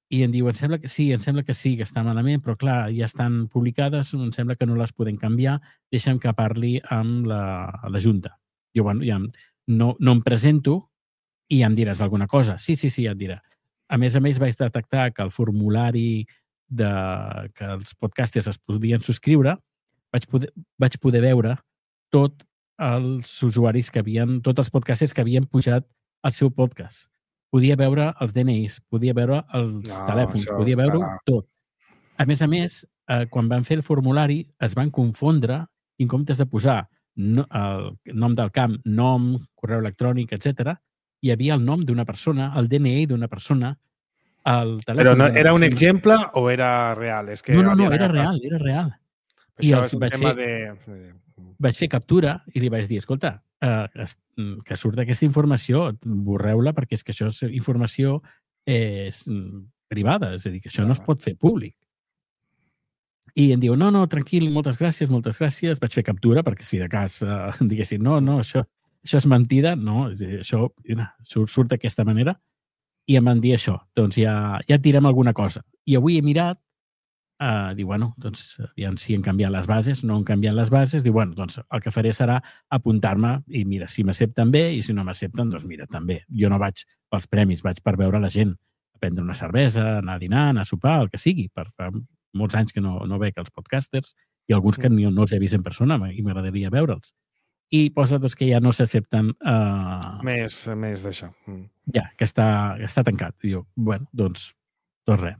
i em diu, em sembla que sí, que està malament, però clar, ja estan publicades, em sembla que no les podem canviar, deixa'm que parli amb la Junta. Jo, ja no em presento i ja em diràs alguna cosa. Sí, ja et dirà. A més, vaig detectar que el formulari que els podcasters es podien subscriure, vaig poder veure tots els usuaris tots els podcasters que havien pujat al seu podcast. Podia veure els DNIs, podia veure els telèfons, podia veure tot. A més, quan van fer el formulari, es van confondre i en comptes de posar el nom del camp, nom, correu electrònic, etc., hi havia el nom d'una persona, el DNI d'una persona, el telèfon... Però era un exemple o era real? No, era real. Això és un tema de... Vaig fer captura i li vaig dir, escolta, que surt aquesta informació, borreu-la perquè és que això és informació privada, és a dir, que això no es pot fer públic. I em diu, no, tranquil, moltes gràcies, vaig fer captura, perquè si de cas diguessin, no, això és mentida, no, això surt d'aquesta manera, i em van dir això, doncs ja tirem alguna cosa. I avui he mirat, diu, bueno, doncs aviam si han canviat les bases, no han canviat les bases, diu, bueno, doncs el que faré serà apuntar-me i mira, si m'accepten bé i si no m'accepten, doncs mira, també. Jo no vaig pels premis, vaig per veure la gent, a prendre una cervesa, anar a dinar, anar a sopar, el que sigui, per fa molts anys que no veig els podcasters i alguns que no els he vist en persona i m'agradaria veure'ls. I posa doncs, que ja no s'accepten... Més d'això. Ja, que està tancat. I diu, bueno, doncs res.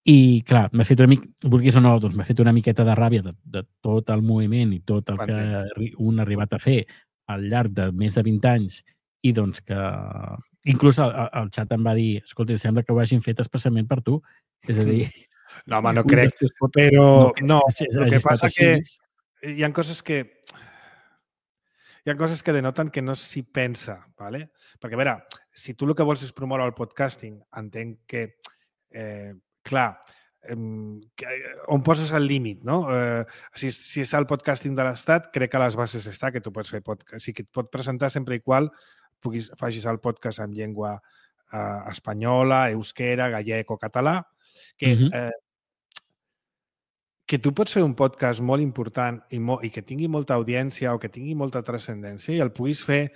I, clar, m'ha fet vulguis o no, doncs m'ha fet una miqueta de ràbia de tot el moviment i tot el que un ha arribat a fer al llarg de més de 20 anys i doncs que... Inclús el xat em va dir, escolta, sembla que ho hagin fet especialment per tu. És a dir... No, home, no crec, però no, el que passa que hi ha coses que denoten que no s'hi pensa, ¿vale? Perquè, a veure, si tu el que vols és promoure el podcasting, entenc que, clar, on poses el límit, no? Si és el podcasting de l'Estat, crec que a les bases està que tu pots fer podcast. O sigui, que et pot presentar sempre i qual facis el podcast en llengua espanyola, euskera, gallec o català, que tu pots fer un podcast molt important i que tingui molta audiència o que tingui molta transcendència i el puguis fer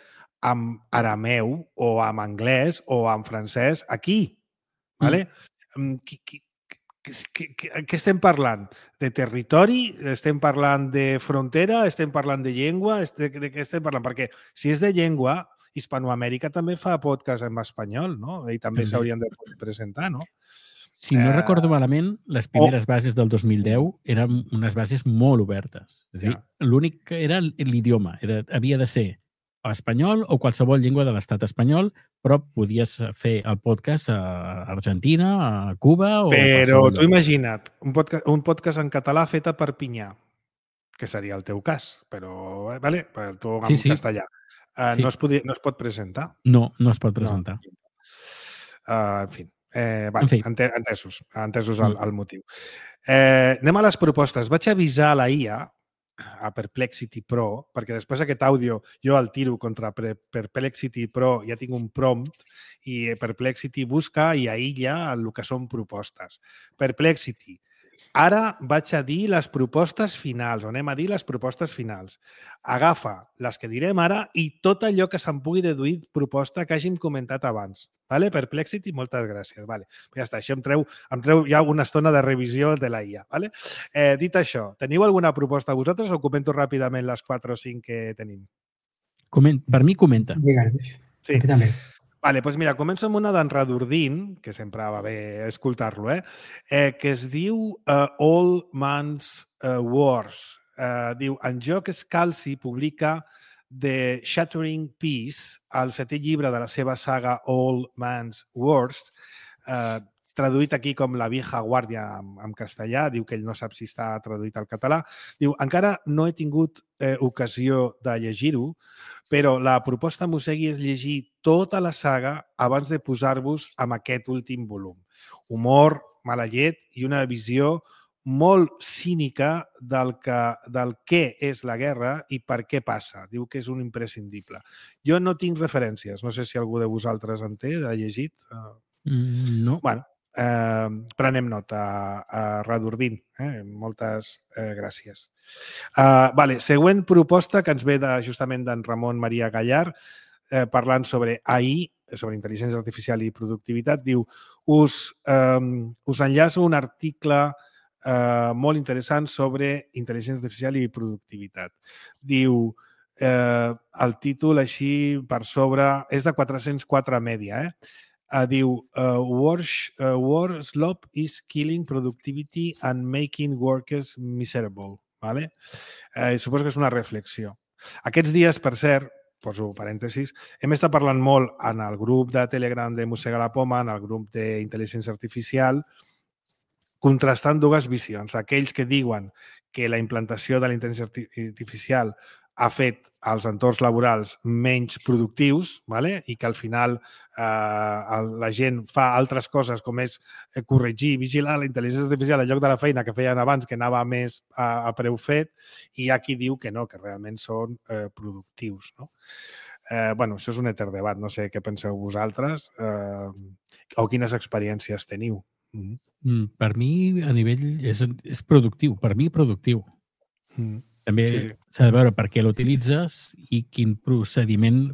en arameu o en anglès o en francès aquí. ¿Vale? Què estem parlant? De territori? Estem parlant de frontera? Estem parlant de llengua? De què estem parlant? Perquè si és de llengua, Hispanoamèrica també fa podcast en espanyol, no? I també s'haurien de presentar, no? Si no recordo malament, les primeres bases del 2010 eren unes bases molt obertes. És a dir, l'únic que era l'idioma. Havia de ser espanyol o qualsevol llengua de l'estat espanyol, però podies fer el podcast a Argentina, a Cuba o... Però tu imagina't, un podcast en català fet a Perpinyà, que seria el teu cas, però, vale? Tu en castellà. No es pot presentar? No es pot presentar. En fi. Entesos el motiu. Anem a les propostes. Vaig avisar la IA, a Perplexity Pro, perquè després aquest àudio jo el tiro contra Perplexity Pro, ja tinc un prompt i Perplexity busca i aïlla el que són propostes. Perplexity. Ara vaig a dir les propostes finals, o anem a dir les propostes finals. Agafa les que direm ara i tot allò que se'n pugui deduir proposta que hàgim comentat abans. Vale? Perplexity, moltes gràcies. Vale. Ja està, això em treu ja una estona de revisió de la IA. Vale? Dit això, teniu alguna proposta vosaltres o comento ràpidament les 4 o 5 que tenim? Per mi, comenta. Sí. Vale, doncs mira, començo amb una d'en Radurdin, que sempre va bé escoltar-lo, que es diu All Man's Wars. Diu, en Jock Scalzi publica The Shattering Peace, el 7è llibre de la seva saga All Man's Wars, traduït aquí com La vieja guàrdia en castellà, diu que ell no sap si està traduït al català. Diu, encara no he tingut ocasió de llegir-ho, però la proposta Mosegui és llegir tota la saga abans de posar-vos amb aquest últim volum. Humor, mala llet i una visió molt cínica del què és la guerra i per què passa. Diu que és un imprescindible. Jo no tinc referències. No sé si algú de vosaltres en té, de llegit. No. Bueno, prenem nota a Radurdin. Moltes gràcies. Vale, següent proposta que ens ve justament d'en Ramon Maria Gallar, parlant sobre AI, sobre intel·ligència artificial i productivitat. Diu, us enllaço un article molt interessant sobre intel·ligència artificial i productivitat. Diu, el títol així per sobre és de 404 Media, diu War slop is killing productivity and making workers miserable. Vale? Suposo que és una reflexió. Aquests dies, per cert, poso parèntesis, hem estat parlant molt en el grup de Telegram de Mossega la Poma, en el grup d'intel·ligència artificial, contrastant dues visions. Aquells que diuen que la implantació de la intel·ligència artificial ha fet els entorns laborals menys productius, i que al final la gent fa altres coses com és corregir, vigilar la intel·ligència artificial en lloc de la feina que feien abans, que anava més a preu fet, i hi ha qui diu que no, que realment són productius. Això és un etern debat. No sé què penseu vosaltres o quines experiències teniu. Per mi, a nivell, és productiu. Per mi, productiu. També s'ha de veure per què l'utilitzes i quin procediment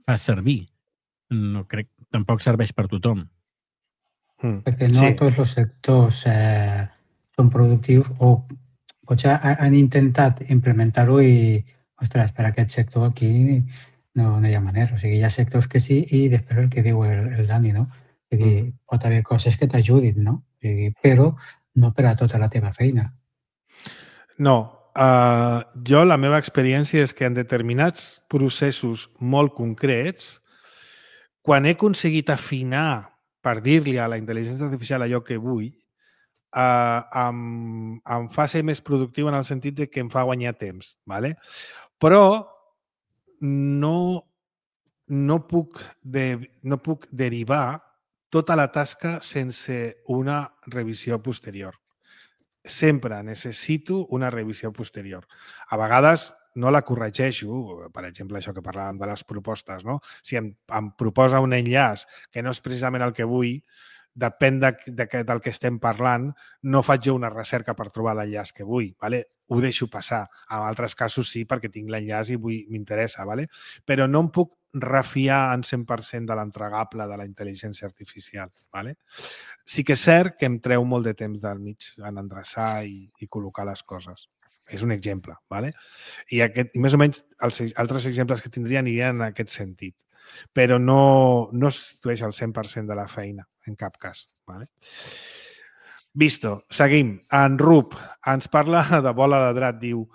fas servir. No crec, tampoc serveix per tothom. Perquè no tots els sectors són productius o potser han intentat implementar-ho i, ostres, per aquest sector aquí no hi ha manera. O sigui, hi ha sectors que sí i després el que diu el Dani, no? És dir, pot haver coses que t'ajudin, no? O sigui, però no per a tota la teva feina. No. Jo, la meva experiència és que en determinats processos molt concrets, quan he aconseguit afinar per dir-li a la intel·ligència artificial allò que vull, em fa ser més productiu en el sentit de que em fa guanyar temps. Però no puc derivar tota la tasca sense una revisió posterior. Sempre necessito una revisió posterior. A vegades no la corregeixo, per exemple, això que parlàvem de les propostes, no? Si em proposa un enllaç que no és precisament el que vull, depèn del que estem parlant, no faig jo una recerca per trobar l'enllaç que vull. Ho deixo passar. En altres casos sí, perquè tinc l'enllaç i m'interessa. Però no em puc refiar en 100% de l'entregable de la intel·ligència artificial. Sí que és cert que em treu molt de temps del mig en endreçar i col·locar les coses. És un exemple. I més o menys els altres exemples que tindria anirien en aquest sentit. Però no substitueix el 100% de la feina, en cap cas. Visto, seguim. En Rup ens parla de Bola de Drac. Diu,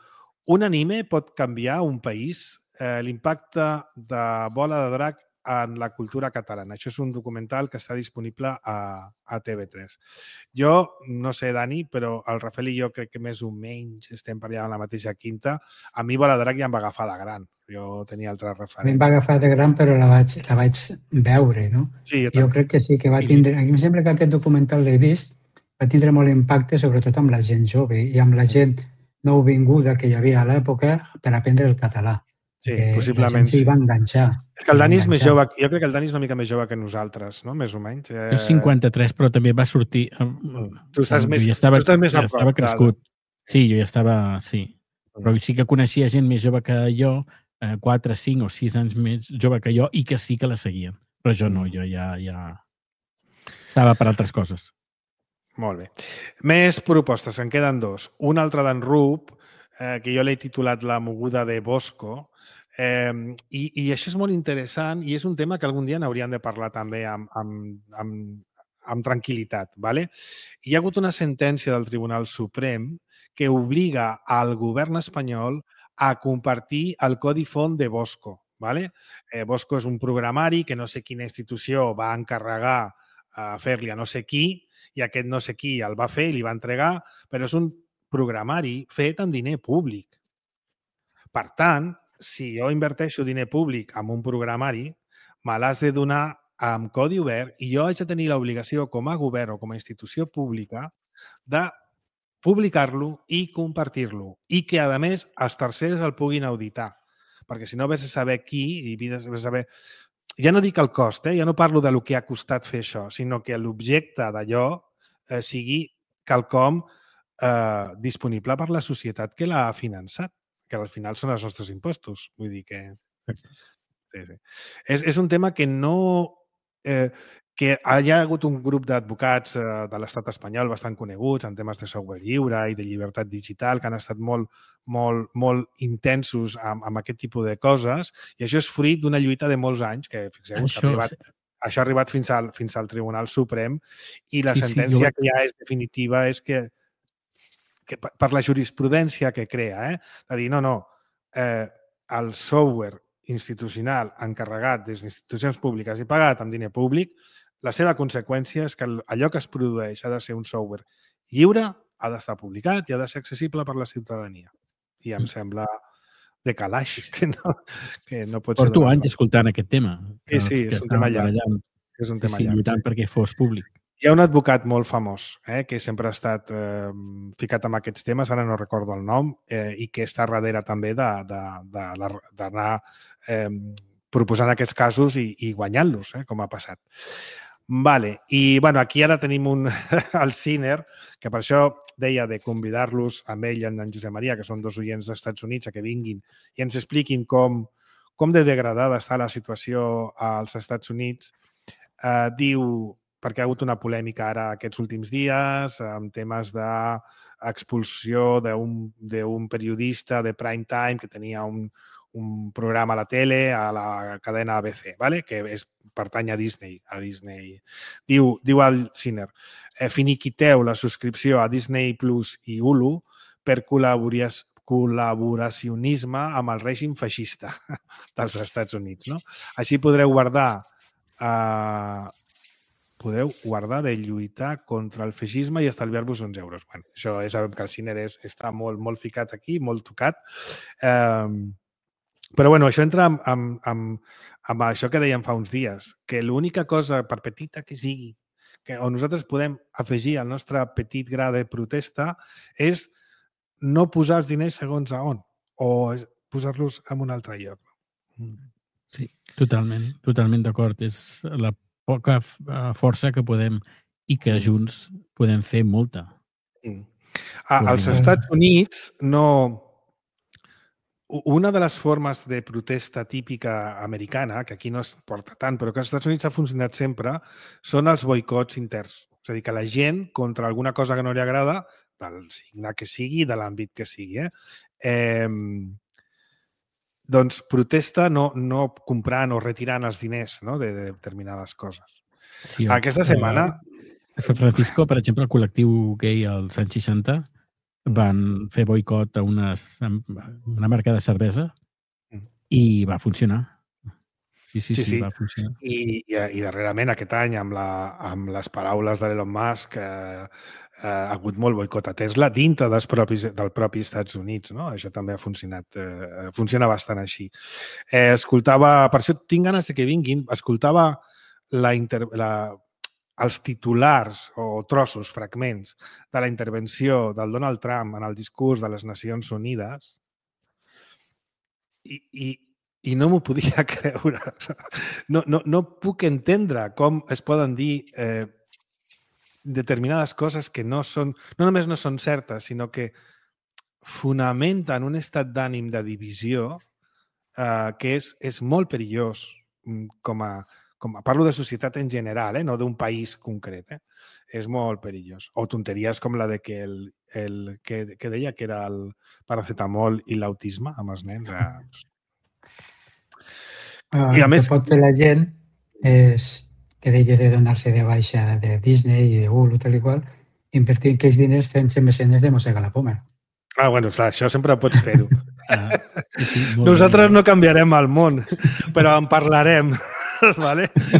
un anime pot canviar un país? L'impacte de Bola de Drac en la cultura catalana. Això és un documental que està disponible a TV3. Jo, no sé, Dani, però el Rafael i jo crec que més o menys estem per allà en la mateixa quinta. A mi Bola de Drac ja em va agafar de gran. Jo tenia altres referents. A mi em va agafar de gran, però la vaig veure, no? Sí, jo crec que sí, que va tindre... A mi em sembla que aquest documental l'he vist, va tindre molt impacte, sobretot amb la gent jove i amb la gent nouvinguda que hi havia a l'època per aprendre el català. Sí, possiblement. La gent s'hi va enganxar. És que el Dani és més jove. Jo crec que el Dani és una mica més jove que nosaltres, no? Més o menys. Jo 53, però també va sortir... Tu estàs més estava crescut. Sí, jo ja estava... Sí. Però sí que coneixia gent més jove que jo, 4, 5 o 6 anys més jove que jo, i que sí que la seguien. Però jo no, jo ja estava per altres coses. Molt bé. Més propostes, en queden 2. Una altra d'en Rup, que jo l'he titulat La moguda de Bosco, i això és molt interessant i és un tema que algun dia n'hauríem de parlar també amb tranquil·litat. Hi ha hagut una sentència del Tribunal Suprem que obliga al govern espanyol a compartir el codi font de Bosco. Bosco és un programari que no sé quina institució va encarregar a fer-li a no sé qui, i aquest no sé qui el va fer i li va entregar, però és un programari fet amb diner públic. Per tant, si jo inverteixo diner públic en un programari, me l'has de donar amb codi obert i jo haig de tenir l'obligació com a govern o com a institució pública de publicar-lo i compartir-lo i que, a més, els tercers el puguin auditar. Perquè si no vés a saber qui i vés a saber... Ja no dic el cost, ja no parlo del que ha costat fer això, sinó que l'objecte d'allò sigui quelcom disponible per la societat que l'ha finançat, que al final són els nostres impostos. Vull dir que... Sí. És un tema que no... que hi ha hagut un grup d'advocats de l'estat espanyol bastant coneguts en temes de software lliure i de llibertat digital que han estat molt intensos amb aquest tipus de coses, i això és fruit d'una lluita de molts anys que, fixeu-vos, això ha arribat fins al Tribunal Suprem i la sentència que ja és definitiva és que per la jurisprudència que crea, de dir, el software institucional encarregat des d'institucions públiques i pagat amb diner públic, la seva conseqüència és que allò que es produeix ha de ser un software lliure, ha d'estar publicat i ha de ser accessible per la ciutadania. I em sembla de calaix, que no pot ser... Porto anys escoltant aquest tema. Sí, és un tema llarg. Lluitant perquè fos públic. Hi ha un advocat molt famós que sempre ha estat ficat en aquests temes, ara no recordo el nom, i que està darrere també d'anar proposant aquests casos i guanyant-los, com ha passat. Vale. I aquí ara tenim el Ciner, que per això deia de convidar-los amb ell i en Josep Maria, que són dos oients dels Estats Units, que vinguin i ens expliquin com de degradada està la situació als Estats Units. Diu, perquè ha hagut una polèmica ara aquests últims dies amb temes d'expulsió d'un periodista de prime time que tenia un programa a la tele, a la cadena ABC, que pertany a Disney. Diu el Ciner, finiquiteu la subscripció a Disney Plus i Hulu per col·laboracionisme amb el règim feixista dels Estats Units. Així podreu guardar de lluitar contra el feixisme i estalviar-vos uns euros. Això ja sabem que el Ciner està molt ficat aquí, molt tocat. Però això entra amb això que dèiem fa uns dies, que l'única cosa, per petita que sigui, on nosaltres podem afegir el nostre petit gra de protesta és no posar els diners segons a on, o posar-los en un altre lloc. Sí, totalment d'acord. És la poca força que podem i que junts podem fer molta. Als Estats Units una de les formes de protesta típica americana, que aquí no es porta tant, però que als Estats Units ha funcionat sempre, són els boicots interns. És a dir, que la gent, contra alguna cosa que no li agrada, del signe que sigui, de l'àmbit que sigui, doncs protesta no comprant o retirant els diners de determinades coses. Sí, aquesta setmana... A San Francisco, per exemple, el col·lectiu gay als anys 60 van fer boicot a una marca de cervesa i va funcionar. Sí, va funcionar. I darrerament, aquest any, amb les paraules de l'Elon Musk, ha hagut molt boicot a Tesla dintre del propi Estats Units. Això també ha funcionat. Funciona bastant així. Escoltava, per això tinc ganes que vinguin, escoltava els titulars o trossos, fragments de la intervenció del Donald Trump en el discurs de les Nacions Unides i no m'ho podia creure. No puc entendre com es poden dir determinades coses que no només no són certes, sinó que fonamenten un estat d'ànim de divisió que és molt perillós parlo de societat en general, no d'un país concret. És molt perillós. O tonteries com la de que que deia que era el paracetamol i l'autisme amb els nens. I a més... El que pot fer la gent és que deixi de donar-se de baixa de Disney i de Hulu, tal i qual, invertir aquells diners fent-se mecenes de Mossega la Poma. Clar, això sempre pots fer-ho. Nosaltres no canviarem el món, però en parlarem.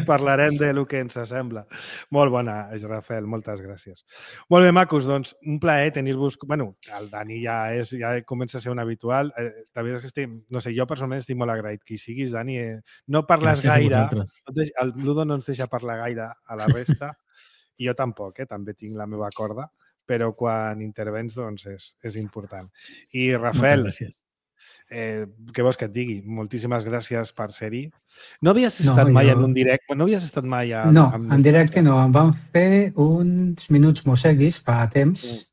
Parlarem del que ens sembla. Molt bona, Rafael, moltes gràcies. Molt bé, macos, doncs un plaer tenir-vos... Bueno, el Dani ja comença a ser un habitual. La veritat és que jo personalment estic molt agraït que hi siguis, Dani. No parles gaire. El Ludo no ens deixa parlar gaire a la resta. I jo tampoc, també tinc la meva corda, però quan intervens, doncs, és important. I, Rafael, què vols que et digui? Moltíssimes gràcies per ser-hi. No havies estat mai en un directe? No havies estat mai... No, en directe no. Em van fer uns minuts mosseguis fa temps,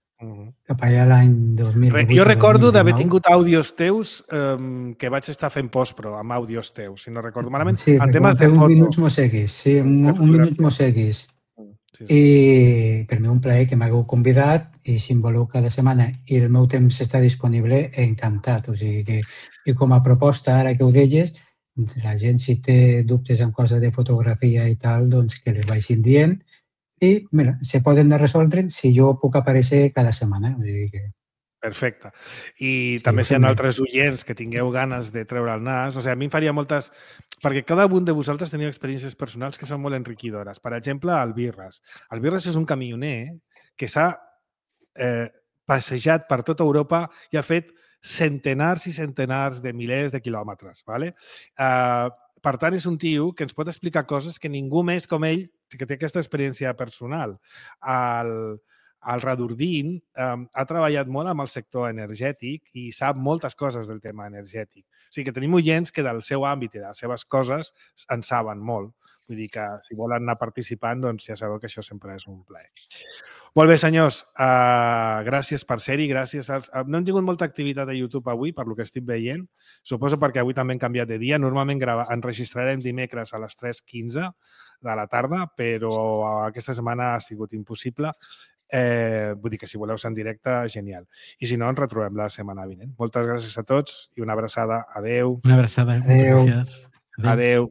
cap allà l'any 2008. Jo recordo d'haver tingut àudios teus que vaig estar fent postpro amb àudios teus, si no recordo malament. Sí, perquè van fer uns minuts mosseguis. Sí, un minut mosseguis. I per mi un plaer que m'hagueu convidat i si em voleu cada setmana i el meu temps està disponible, encantat. O sigui que, i com a proposta, ara que ho deies, la gent si té dubtes en coses de fotografia i tal, doncs que les vagin dient i mira, se poden resoldre si jo puc aparèixer cada setmana. O sigui que... Perfecte. I també si hi ha altres oients que tingueu ganes de treure el nas, o sigui, a mi em faria moltes... Perquè cada un de vosaltres teniu experiències personals que són molt enriquidores. Per exemple, el Birras. El Birras és un camioner que s'ha passejat per tota Europa i ha fet centenars i centenars de milers de quilòmetres. ¿Vale? Per tant, és un tio que ens pot explicar coses que ningú més com ell, que té aquesta experiència personal. El Radurdin ha treballat molt amb el sector energètic i sap moltes coses del tema energètic. O sigui que tenim oients que del seu àmbit i de les seves coses en saben molt. Vull dir que si volen anar participant, doncs ja sabeu que això sempre és un plaer. Molt bé, senyors. Gràcies per ser-hi. No hem tingut molta activitat a YouTube avui, per lo que estic veient. Suposo perquè avui també hem canviat de dia. Normalment enregistrarem dimecres a les 3:15 de la tarda, però aquesta setmana ha sigut impossible. Vull dir que si voleu ser en directe, genial. I si no, ens retrobem la setmana vinent. Moltes gràcies a tots i una abraçada. Adeu. Una abraçada. Adeu. Moltes gràcies. Adeu.